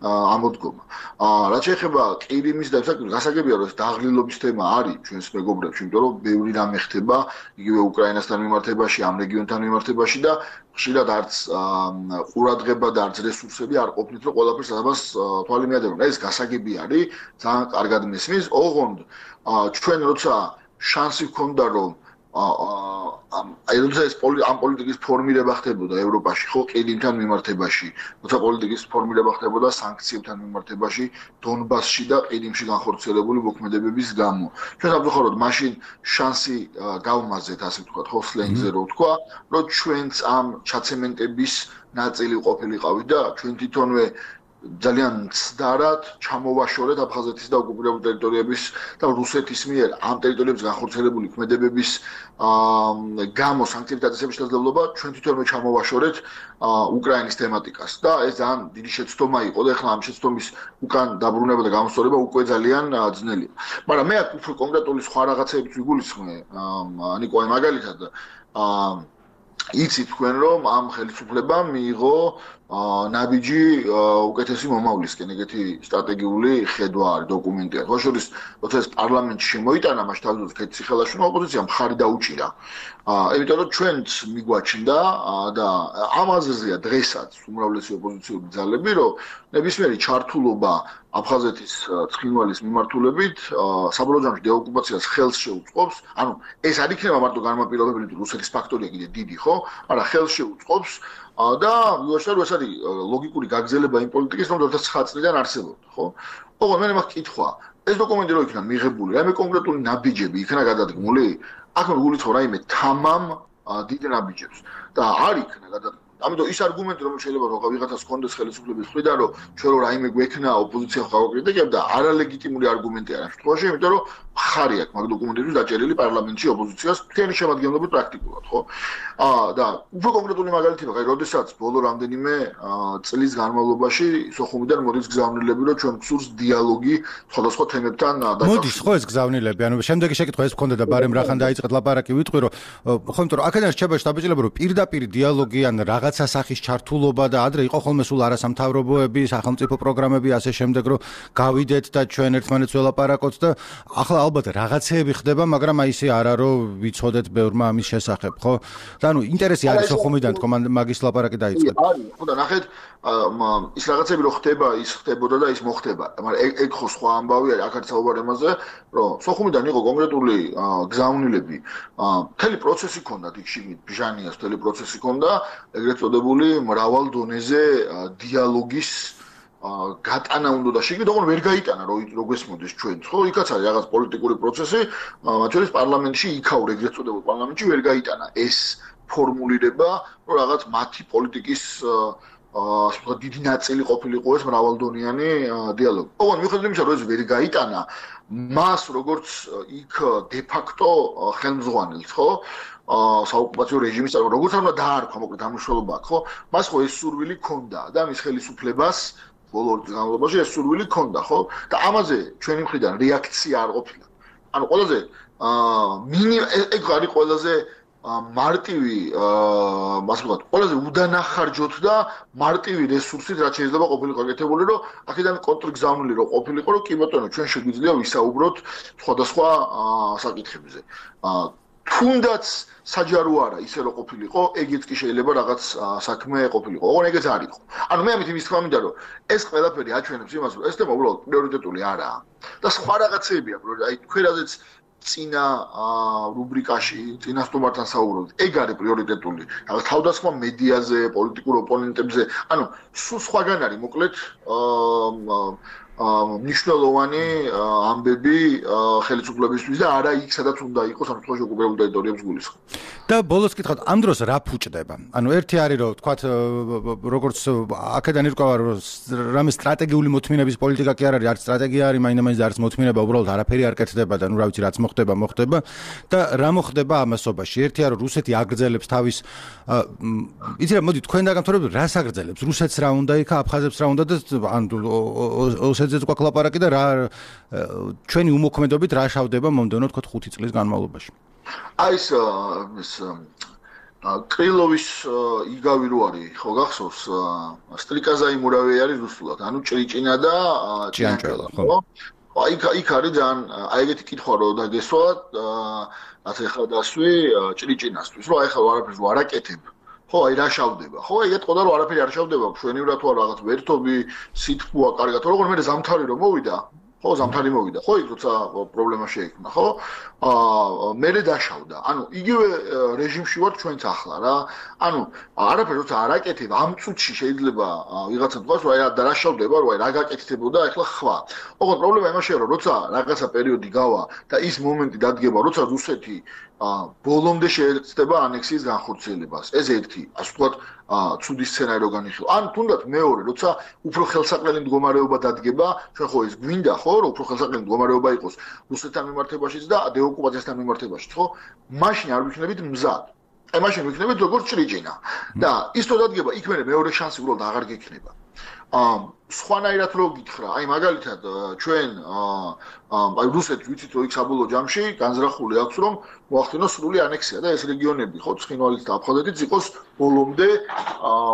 Speaker 7: ამოდგომა. აა რაც შეეხება ყირიმის და საკუთარ გასაგებია, რომ ეს დაღლილობის თემა არის ჩვენს მეგობრებში, იმიტომ რომ ბევრი რამე ხდება იგივე უკრაინასთან მიმართებაში, ამ რეგიონთან მიმართებაში და ხშირად არც ყურადღება და არც რესურსები არ ყოფნით, რომ ყველაფერს ამას თვალი მიადევნონ. ეს გასაგები არის, ძალიან კარგად მესმის. ოღონდ ჩვენ როცა შანსი გქონდა რომ აი როცა ეს ამ პოლიტიკის ფორმირება ხდებოდა ევროპაში, ხო, ყირიმთან მიმართებაში, როცა პოლიტიკის ფორმირება ხდებოდა სანქციებთან მიმართებაში, დონბასში და ყირიმში განხორციელებული მოქმედებების გამო. ჩვენ სამწუხაროდ მაშინ შანსი გავმაზეთ, ასე ვთქვათ, ხო, სლენგზე რო ვთქვა, რომ ჩვენც ამ ჩაცემენტების ნაწილი ყოფილიყავით და ჩვენ თვითონვე ძალიან ცდარად ჩამოვაშორეთ აფხაზეთის და ოკუპირებული ტერიტორიების და რუსეთის მიერ ამ ტერიტორიებზე განხორციელებული ქმედებების გამო სანქციების დაწესების შესაძლებლობა ჩვენ თვითონვე ჩამოვაშორეთ უკრაინის თემატიკას და ეს ძალიან დიდი შეცდომა იყო და ახლა ამ შეცდომის უკან დაბრუნება და გამოსწორება უკვე ძალიან ძნელია. მაგრამ მე აქ უფრო კონკრეტული სხვა რაღაცებიც ვიგულისხმე, ნიკოლაი მაგალითად იცით თქვენ რომ ამ ხელისუფლებამ მიიღო ნაბიჯი უკეთესი მომავლისკენ ეგეთი სტრატეგიული ხედვა არის დოკუმენტია. ხო შორის როცა ეს პარლამენტში შემოიტანა მაშინ თავდადოთ ქეთი ხელაშუნა ოპოზიციამ მხარი დაუჭირა. იმიტომ რომ ჩვენც მიგვაჩნდა და ამ აზრზეა დღესაც უმრავლესი ოპოზიციური ძალები რომ ნებისმიერი ჩართულობა აფხაზეთის ცხინვალის მიმართულებით საბოლოო ჯამში დეოკუპაციას ხელს შეუწყობს. ანუ ეს არ იქნება მარტო განმაპირობებელი თუ რუსეთის ფაქტორია კიდე დიდი, ხო? მაგრამ ხელს შეუწყობს და ვიუაშარ ეს არის ლოგიკური გაგრძელება იმ პოლიტიკის, რომელიც ცხრა წლიდან არსებობდა, ხო? ოღონდ მე მაქვს კითხვა, ეს დოკუმენტი რო იქნა მიღებული, რაიმე კონკრეტული ნაბიჯები იქნა გადადგმული? აქ მე გულით ხო რაიმე თამამ დიდ ნაბიჯებს და არ იქნა გადადგმული. ამიტომ ის არგუმენტი რომ შეიძლება რომ ვიღაცას კონდეს ხელისუფლების მხრიდან რომ ჩვენ რო რაიმე გვექნა ოპოზიცია გავაკრიტიკებდა არალეგიტიმური არგუმენტია ამ შემთხვევაში, იმიტომ რომ ხარი აქვს მაგ დოკუმენტებში დაჭერილი პარლამენტში ოპოზიციას მთელი შემადგენლობით პრაქტიკულად, ხო? აა და უფრო კონკრეტული მაგალითი მაგ როდესაც ბოლო რამდენიმე წლის განმავლობაში სოხუმიდან მოდის გზავნილები რომ ჩვენ გსურს დიალოგი სხვადასხვა თემებთან და
Speaker 1: მოდის ხო ეს გზავნილები, ანუ შემდეგი შეკითხვა ეს მქონდა და ბარემ რახან დაიწყეთ ლაპარაკი ვიტყვი რომ ხო იმიტომ რომ აქედან რჩება შტაბიჭილება რომ პირდაპირ დიალოგი ან რაღაცა სახის ჩართულობა და ადრე იყო ხოლმე სულ არასამთავრობოები, სახელმწიფო პროგრამები ასე შემდეგ რომ გავიდეთ და ჩვენ ერთმანეთს ველაპარაკოთ და ახლა ალბათ რაღაცეები ხდება, მაგრამ აი ისე არა რომ ვიცოდეთ ბევრმა ამის შესახებ, ხო? და ანუ ინტერესი არის სოხუმიდან თქო მაგის ლაპარაკი დაიწყეთ.
Speaker 7: არის, ხო და ნახეთ ის რაღაცები რო ხდება, ის ხდებოდა და ის მოხდება. მაგრამ ეგ ეგ ხო სხვა ამბავი არის, აქ არის საუბარი ამაზე, რომ სოხუმიდან იყო კონკრეტული გზავნილები, მთელი პროცესი ქონდა იქ შიგნით, ბჟანიას მთელი პროცესი ქონდა, ეგრეთ წოდებული მრავალ დონეზე დიალოგის გატანა უნდა და შეგიძლია თქო ვერ გაიტანა რო რო გესმოდეს ჩვენც ხო იქაც არის რაღაც პოლიტიკური პროცესი მათ შორის პარლამენტში იქაურ ეგრეთ წოდებულ პარლამენტში ვერ გაიტანა ეს ფორმულირება რომ რაღაც მათი პოლიტიკის ასე ვთქვათ დიდი ნაწილი ყოფილიყო ეს მრავალდონიანი დიალოგი. ოღონდ მიუხედავად იმისა რომ ეს ვერ გაიტანა მას როგორც იქ დე ფაქტო ხელმძღვანელს ხო საოკუპაციო რეჟიმის როგორც არ უნდა დაარქვა მოკლედ ამუშავება ხო მას ხო ეს სურვილი ქონდა და მის ხელისუფლებას ბოლო განმავლობაში ეს სურვილი ქონდა ხო და ამაზე ჩვენი მხრიდან რეაქცია არ ყოფილა. ანუ ყველაზე ეგ არის ყველაზე მარტივი ასე ვთქვათ ყველაზე უდანახარჯოთ და მარტივი რესურსით რაც შეიძლება ყოფილიყო გაკეთებული რომ აქედან კონტრგზავნილი რომ ყოფილიყო რომ კი ბატონო ჩვენ შეგვიძლია ვისაუბროთ სხვადასხვა საკითხებზე. თუნდაც საჯარო არა ისე რომ ყოფილიყო ეგეც კი შეიძლება რაღაც საქმე ყოფილიყო. ოღონდ ეგეც არ იყო. ანუ მე ამით იმის თქმა მინდა რომ ეს ყველაფერი აჩვენებს იმას რომ ეს თემა უბრალოდ პრიორიტეტული არაა და სხვა რაღაცეები აქვს აი თქვენ რაზეც წინა რუბრიკაში წინა სტუმართან საუბრობთ ეგ არის პრიორიტეტული რაღაც თავდასხმა მედიაზე პოლიტიკურ ოპონენტებზე ანუ სულ სხვაგან არის მოკლედ მნიშვნელოვანი ამბები ხელისუფლებისთვის და არა იქ სადაც უნდა იყოს ამ შემთხვევაში ოკუპირებულ ტერიტორიებს გულისხმობ.
Speaker 1: და ბოლოს კითხავთ ამ დროს რა ფუჭდება? ანუ ერთი არის რომ თქვათ როგორც აქედან ირკვევა რომ რამე სტრატეგიული მოთმინების პოლიტიკა კი არ არის, არც სტრატეგია არის, მაინდა-მაინც არც მოთმინება, უბრალოდ არაფერი არ კეთდება და ნუ რა ვიცი რაც მოხდება, მოხდება და რა მოხდება ამასობაში? ერთია რომ რუსეთი აგრძელებს თავის იცი რა მოდი თქვენ დაგამთავრებთ რას აგრძელებს? რუსეთს რა უნდა იქა, აფხაზებს რა უნდა და ან ოსეთზეც გვაქვს ლაპარაკი და რა ჩვენი უმოქმედობით რა შავდება მომდევნო თქო ხუთი წლის განმავლობაში.
Speaker 7: აი ეს ეს კრილოვის იგავი რო არის ხო გახსოვს სტრიკაზაი მურავი არის რუსულად ანუ ჭრიჭინა და
Speaker 1: ჭიანჭველა ხო
Speaker 7: აი იქ არის ძალიან აი ეგეთი კითხვა რო დაგესვა რაც ახლა დასვი ჭრიჭინასთვის რომ აი ხა არაფერს რო არაკეთებ ხო აი რა შავდება ხო აი ეთყოდა რომ არაფერი არ შავდება მშვენივრად თუ რაღაც ვერთობი სითბოა კარგად როგორ მე ზამთარი რომ მოვიდა ხო ზამთარი მოვიდა ხო იქ როცა პრობლემა შეიქმნა ხო აა მე დაშავდა ანუ იგივე რეჟიმში ვარ ჩვენც ახლა რა ანუ არაფერი როცა არაკეთებ ამ წუთში შეიძლება ვიღაცა თქვას რომ აი რა დაშავდება რომ აი რა გაკეთდებოდა ახლა ხვა ოღონდ პრობლემა იმაშია რომ როცა რაღაცა პერიოდი გავა და ის მომენტი დადგება როცა რუსეთი ბოლომდე შეეცდება ანექსიის განხორციელებას ეს ერთი ასე ვთქვათ ცუდი სცენარი რო განიხილო ან თუნდაც მეორე როცა უფრო ხელსაყრელი მდგომარეობა დადგება ჩვენ ხო ეს გვინდა ხო რომ უფრო ხელსაყრელი მდგომარეობა იყოს რუსეთთან მიმართებაშიც და დეოკუპაციასთან მიმართებაშიც ხო მაშინ არ ვიქნებით მზად აი მაშინ ვიქნებით როგორც ჭრიჭინა და ის თუ დადგება იქ მე მეორე შანსი უბრალოდ აღარ გექნება სხვანაირად რო გითხრა, აი მაგალითად ჩვენ აი რუსეთს ვიცით რომ იქ საბოლოო ჯამში განზრახული აქვს რომ მოახდინოს სრული ანექსია და ეს რეგიონები ხო ცხინვალის და აფხაზეთის იყოს ბოლომდე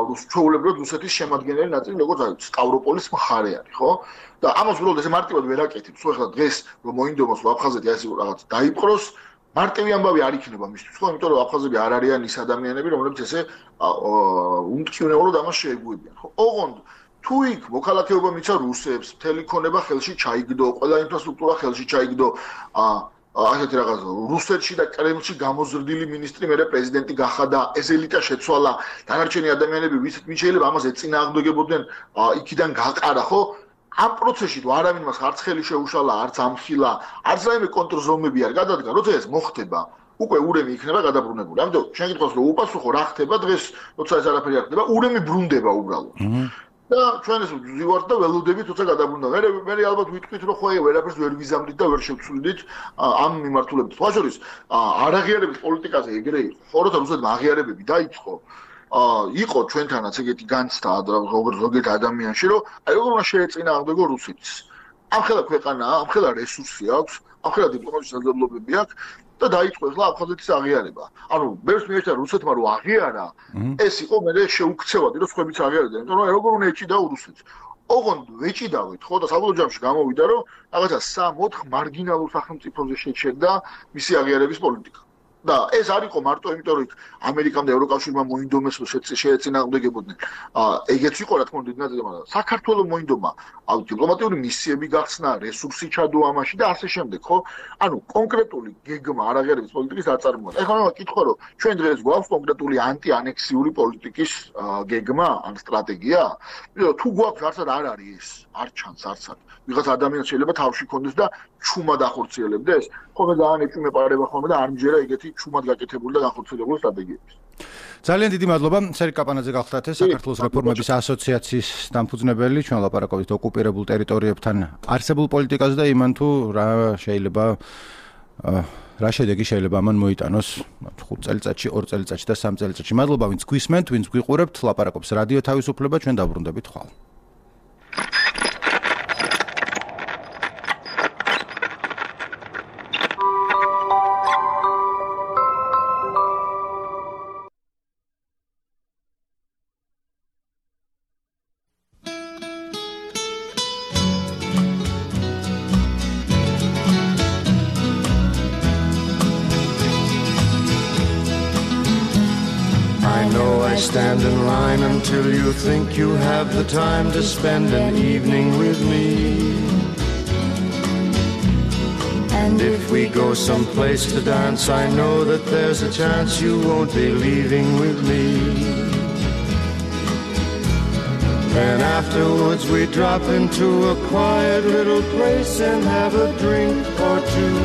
Speaker 7: რუსჩვეულებრივად რუსეთის შემადგენელი ნაწილი როგორც აი სტავროპოლის მხარე არის ხო და ამას უბრალოდ ესე მარტივად ვერ აკეთებს ხო ახლა დღეს რომ მოინდომოს რომ აფხაზეთი ასე რაღაც დაიპყროს მარტივი ამბავი არ იქნება მისთვის ხო იმიტომ რომ აფხაზები არ არიან ის ადამიანები რომლებიც ესე უმტკივნეულოდ ამას შეეგუებიან ხო ოღონდ თუ იქ მოქალაქეობა მიცა რუსებს, მთელი ქონება ხელში ჩაიგდო, ყველა ინფრასტრუქტურა ხელში ჩაიგდო, ასეთი რაღაც რუსეთში და კრემლში გამოზრდილი მინისტრი მერე პრეზიდენტი გახადა, ეს ელიტა შეცვალა, დანარჩენი ადამიანები ვიცით ვინ შეიძლება ამას ეწინააღმდეგებოდნენ, იქიდან გაყარა, ხო? ამ პროცესში თუ არავინ მას არც ხელი შეუშალა, არც ამხილა, არც რაიმე კონტრზომები არ გადადგა, როცა ეს მოხდება უკვე ურემი იქნება გადაბრუნებული. ამიტომ შენ გითხოს რომ უპასუხო რა ხდება დღეს, როცა ეს არაფერი არ ხდება, ურემი ბრუნდება უბრალოდ. და ჩვენ ეს ვივართ და ველოდებით თუცა გადაბრუნდა. მე მე ალბათ ვიტყვით რომ ხო აი ვერაფერს ვერ ვიზამდით და ვერ შევცვლიდით ამ მიმართულებით. სხვა შორის არაღიარების პოლიტიკაზე ეგრე იყო. ხო როცა რუსეთმა აღიარებები დაიწყო იყო ჩვენთანაც ეგეთი განცდა ზოგიერთ ადამიანში რომ აი როგორ უნდა შეეწინააღმდეგო რუსეთს. ამხელა ქვეყანაა, ამხელა რესურსი აქვს, ამხელა დიპლომატიური შესაძლებლობები აქვს და დაიწყო ახლა აფხაზეთის აღიარება. ანუ ბევრს მიეჭდა რუსეთმა რომ აღიარა, ეს იყო მე შეუქცევადი რომ სხვებიც აღიარებდნენ. იმიტომ რომ როგორ უნდა ეჭიდაო რუსეთს. ოღონდ ვეჭიდავით, ხო და საბოლოო ჯამში გამოვიდა რომ რაღაცა სამ ოთხ მარგინალურ სახელმწიფოზე შეჩერდა მისი აღიარების პოლიტიკა. და ეს არ იყო მარტო იმიტომ რომ ამერიკამ და ევროკავშირმა მოინდომეს შეეწინააღმდეგებოდნენ. ეგეც იყო რა თქმა უნდა დიდ მაგრამ საქართველოს მოინდომა აუ დიპლომატიური მისიები გახსნა, რესურსი ჩადო ამაში და ასე შემდეგ, ხო? ანუ კონკრეტული გეგმა არაღიარების პოლიტიკის აწარმოება. ეხლა მე კითხო რომ ჩვენ დღეს გვაქვს კონკრეტული ანტიანექსიური პოლიტიკის გეგმა ან სტრატეგია? იმიტომ თუ გვაქვს არცად არ არის ეს, არ ჩანს არცად. ვიღაც ადამიანს შეიძლება თავში კონდეს და ჩუმად ახორციელებდეს. ხოლმე ძალიან ეჭვმეპარება ხოლმე და არ მჯერა ეგეთი ჩუმად გაკეთებული და განხორციელებული სტრატეგიების.
Speaker 1: ძალიან დიდი მადლობა. სერიკ კაპანაძე გახლდათ საქართველოს რეფორმების ასოციაციის დამფუძნებელი. ჩვენ ლაპარაკობთ ოკუპირებულ ტერიტორიებთან არსებულ პოლიტიკაზე და იმან თუ რა შეიძლება რა შედეგი შეიძლება ამან მოიტანოს ხუთ წელიწადში, ორ წელიწადში და სამ წელიწადში. მადლობა ვინც გვისმენთ, ვინც გვიყურებთ, ლაპარაკობს რადიო თავისუფლება, ჩვენ დაბრუნდებით ხვალ.
Speaker 8: Stand in line until you think you have the time to spend an evening with me. And if we go someplace to dance, I know that there's a chance you won't be leaving with me. Then afterwards we drop into a quiet little place and have a drink or two.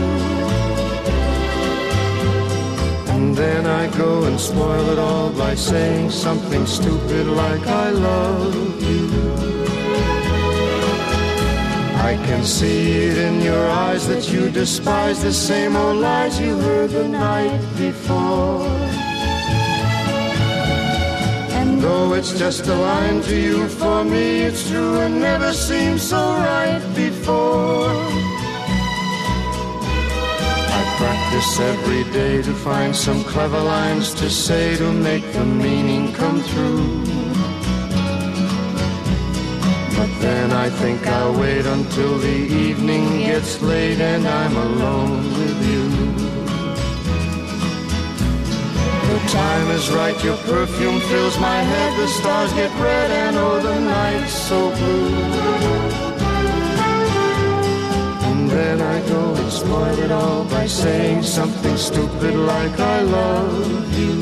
Speaker 8: And then I go and spoil it all by saying something stupid like I love you. I can see it in your eyes that you despise the same old lies you heard the night before. And though it's just a line to you, for me it's true and never seemed so right before. Practice every day to find some clever lines to say to make the meaning come through. But then I think I'll wait until the evening gets late and I'm alone with you. The time is right, your perfume fills my head, the stars get red and oh the night's so blue. Then I go and spoil it all by saying something stupid like I love you.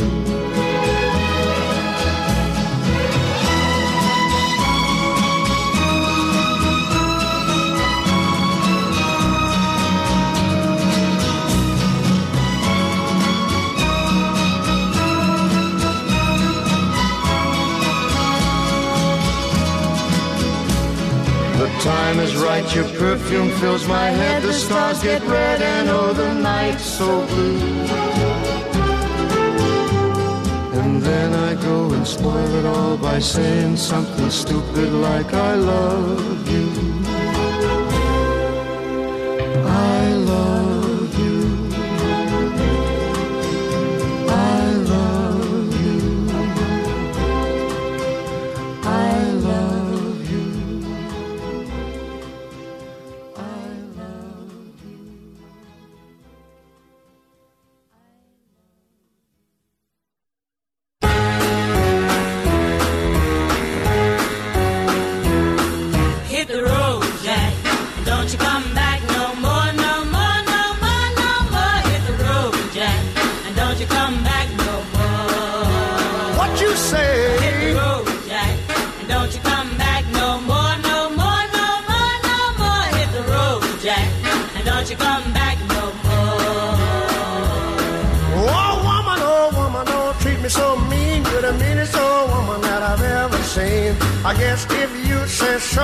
Speaker 8: The time is right, your perfume fills my head, the stars get red and oh the night's so blue. And then I I go and spoil it all by saying something stupid like I love you. I love you. I love you. I love you. I love you.
Speaker 9: Hit the road, Jack. Don't you come back no more, no more, no more, no more. Hit the road, Jack. And don't you come back no more.
Speaker 8: What you say?
Speaker 9: Hit the road, Jack. And don't you come back no more, no more, no more, no more. Hit the road, Jack. And don't you come back no more.
Speaker 8: Oh woman, oh woman, don't treat me so mean. You're the meanest old woman that I've ever seen. I guess if you say so,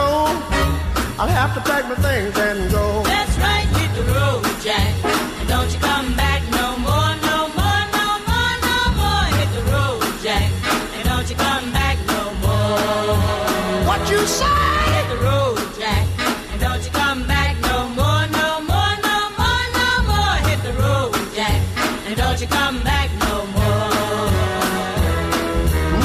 Speaker 8: I'll have to pack my things and go.
Speaker 9: That's right, hit the road, Jack. And don't you come back no more, no more, no more, no more. Hit the road, Jack. And don't you come back no more.
Speaker 8: What you say?
Speaker 9: Hit the road, Jack. And don't you come back no more, no more, no more, no more. Hit the road, Jack. And don't you come back no more.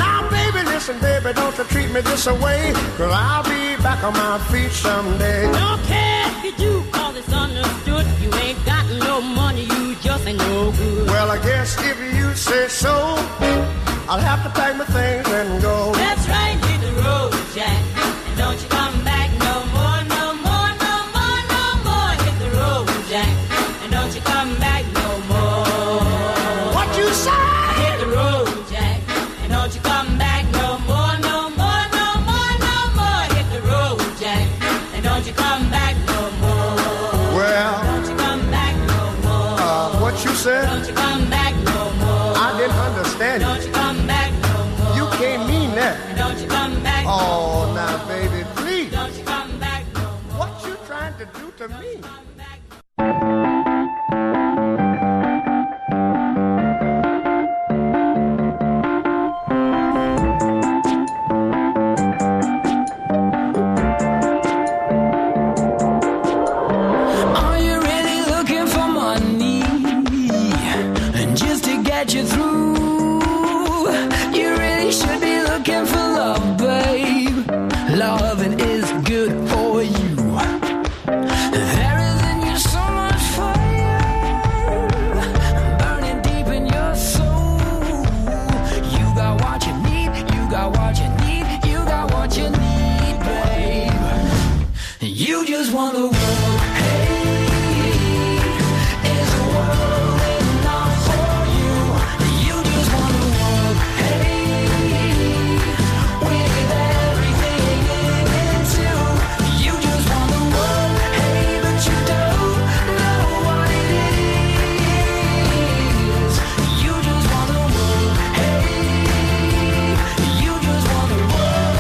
Speaker 8: Now baby, listen baby, don't you treat me this away, 'cause I'll be back on my feet someday.
Speaker 9: Don't care if you do, cause it's understood. You ain't got no money, you just ain't no good.
Speaker 8: Well, I guess if you say so, I'll have to pack my things and go.
Speaker 9: That's right, hit the road, Jack. And don't you come back no more, no more, no more, no more. Hit the road, Jack. And don't you come back no more.
Speaker 8: What you say?
Speaker 9: Hit the road, Jack. And don't you come back no more, no more, no more, no more. Hit the road, Jack. And don't you come back no more.
Speaker 8: Well,
Speaker 9: Don't you come back no more.
Speaker 8: uh, what you said?
Speaker 9: Don't you come back no more.
Speaker 8: I didn't understand
Speaker 9: Don't
Speaker 8: you.
Speaker 9: you come back no more.
Speaker 8: You can't mean that.
Speaker 9: And don't you come back no
Speaker 8: Oh,
Speaker 9: more.
Speaker 8: now baby, please.
Speaker 9: Don't you come back no more.
Speaker 8: What you trying to do to me?
Speaker 9: Come back.
Speaker 10: Are you really looking for money? And just to get you through, you really should be looking for love, babe. Loving is good for you. There is in you so much fire, burning deep in your soul. You got what you need, you got what you need, you got what you need, babe. You just want the world. Hey, is the world enough for you? You just want the world. Hey, with everything in it too. You just want the world. Hey, but you don't know what it is. You just want the world. Hey, you just want the world.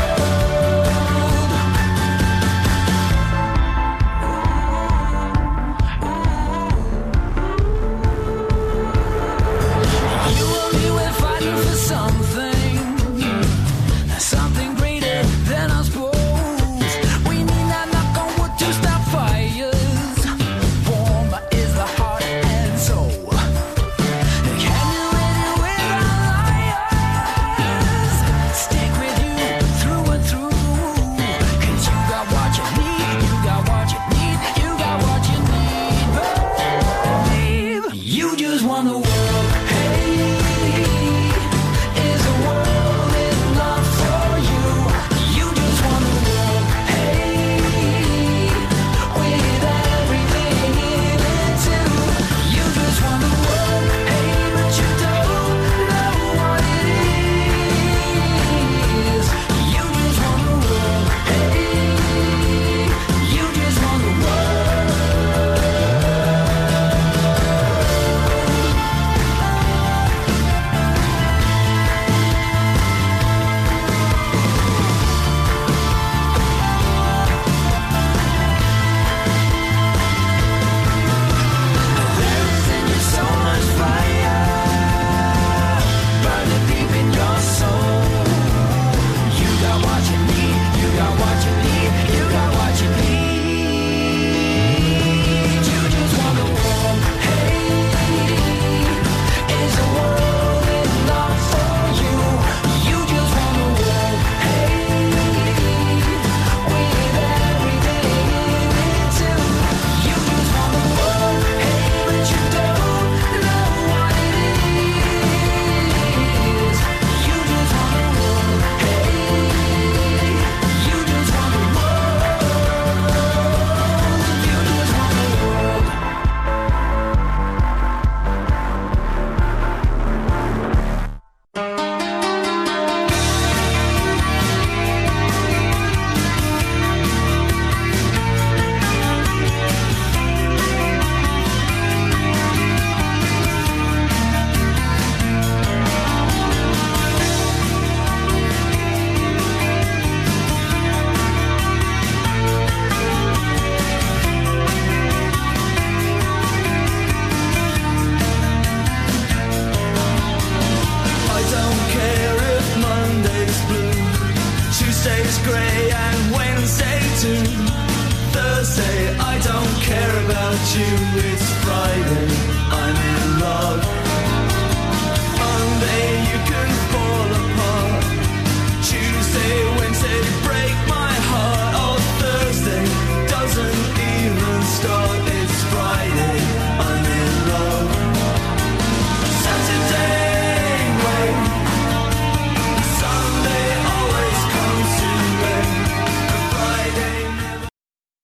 Speaker 10: Thursday, I don't care about you. It's Friday, I'm in love.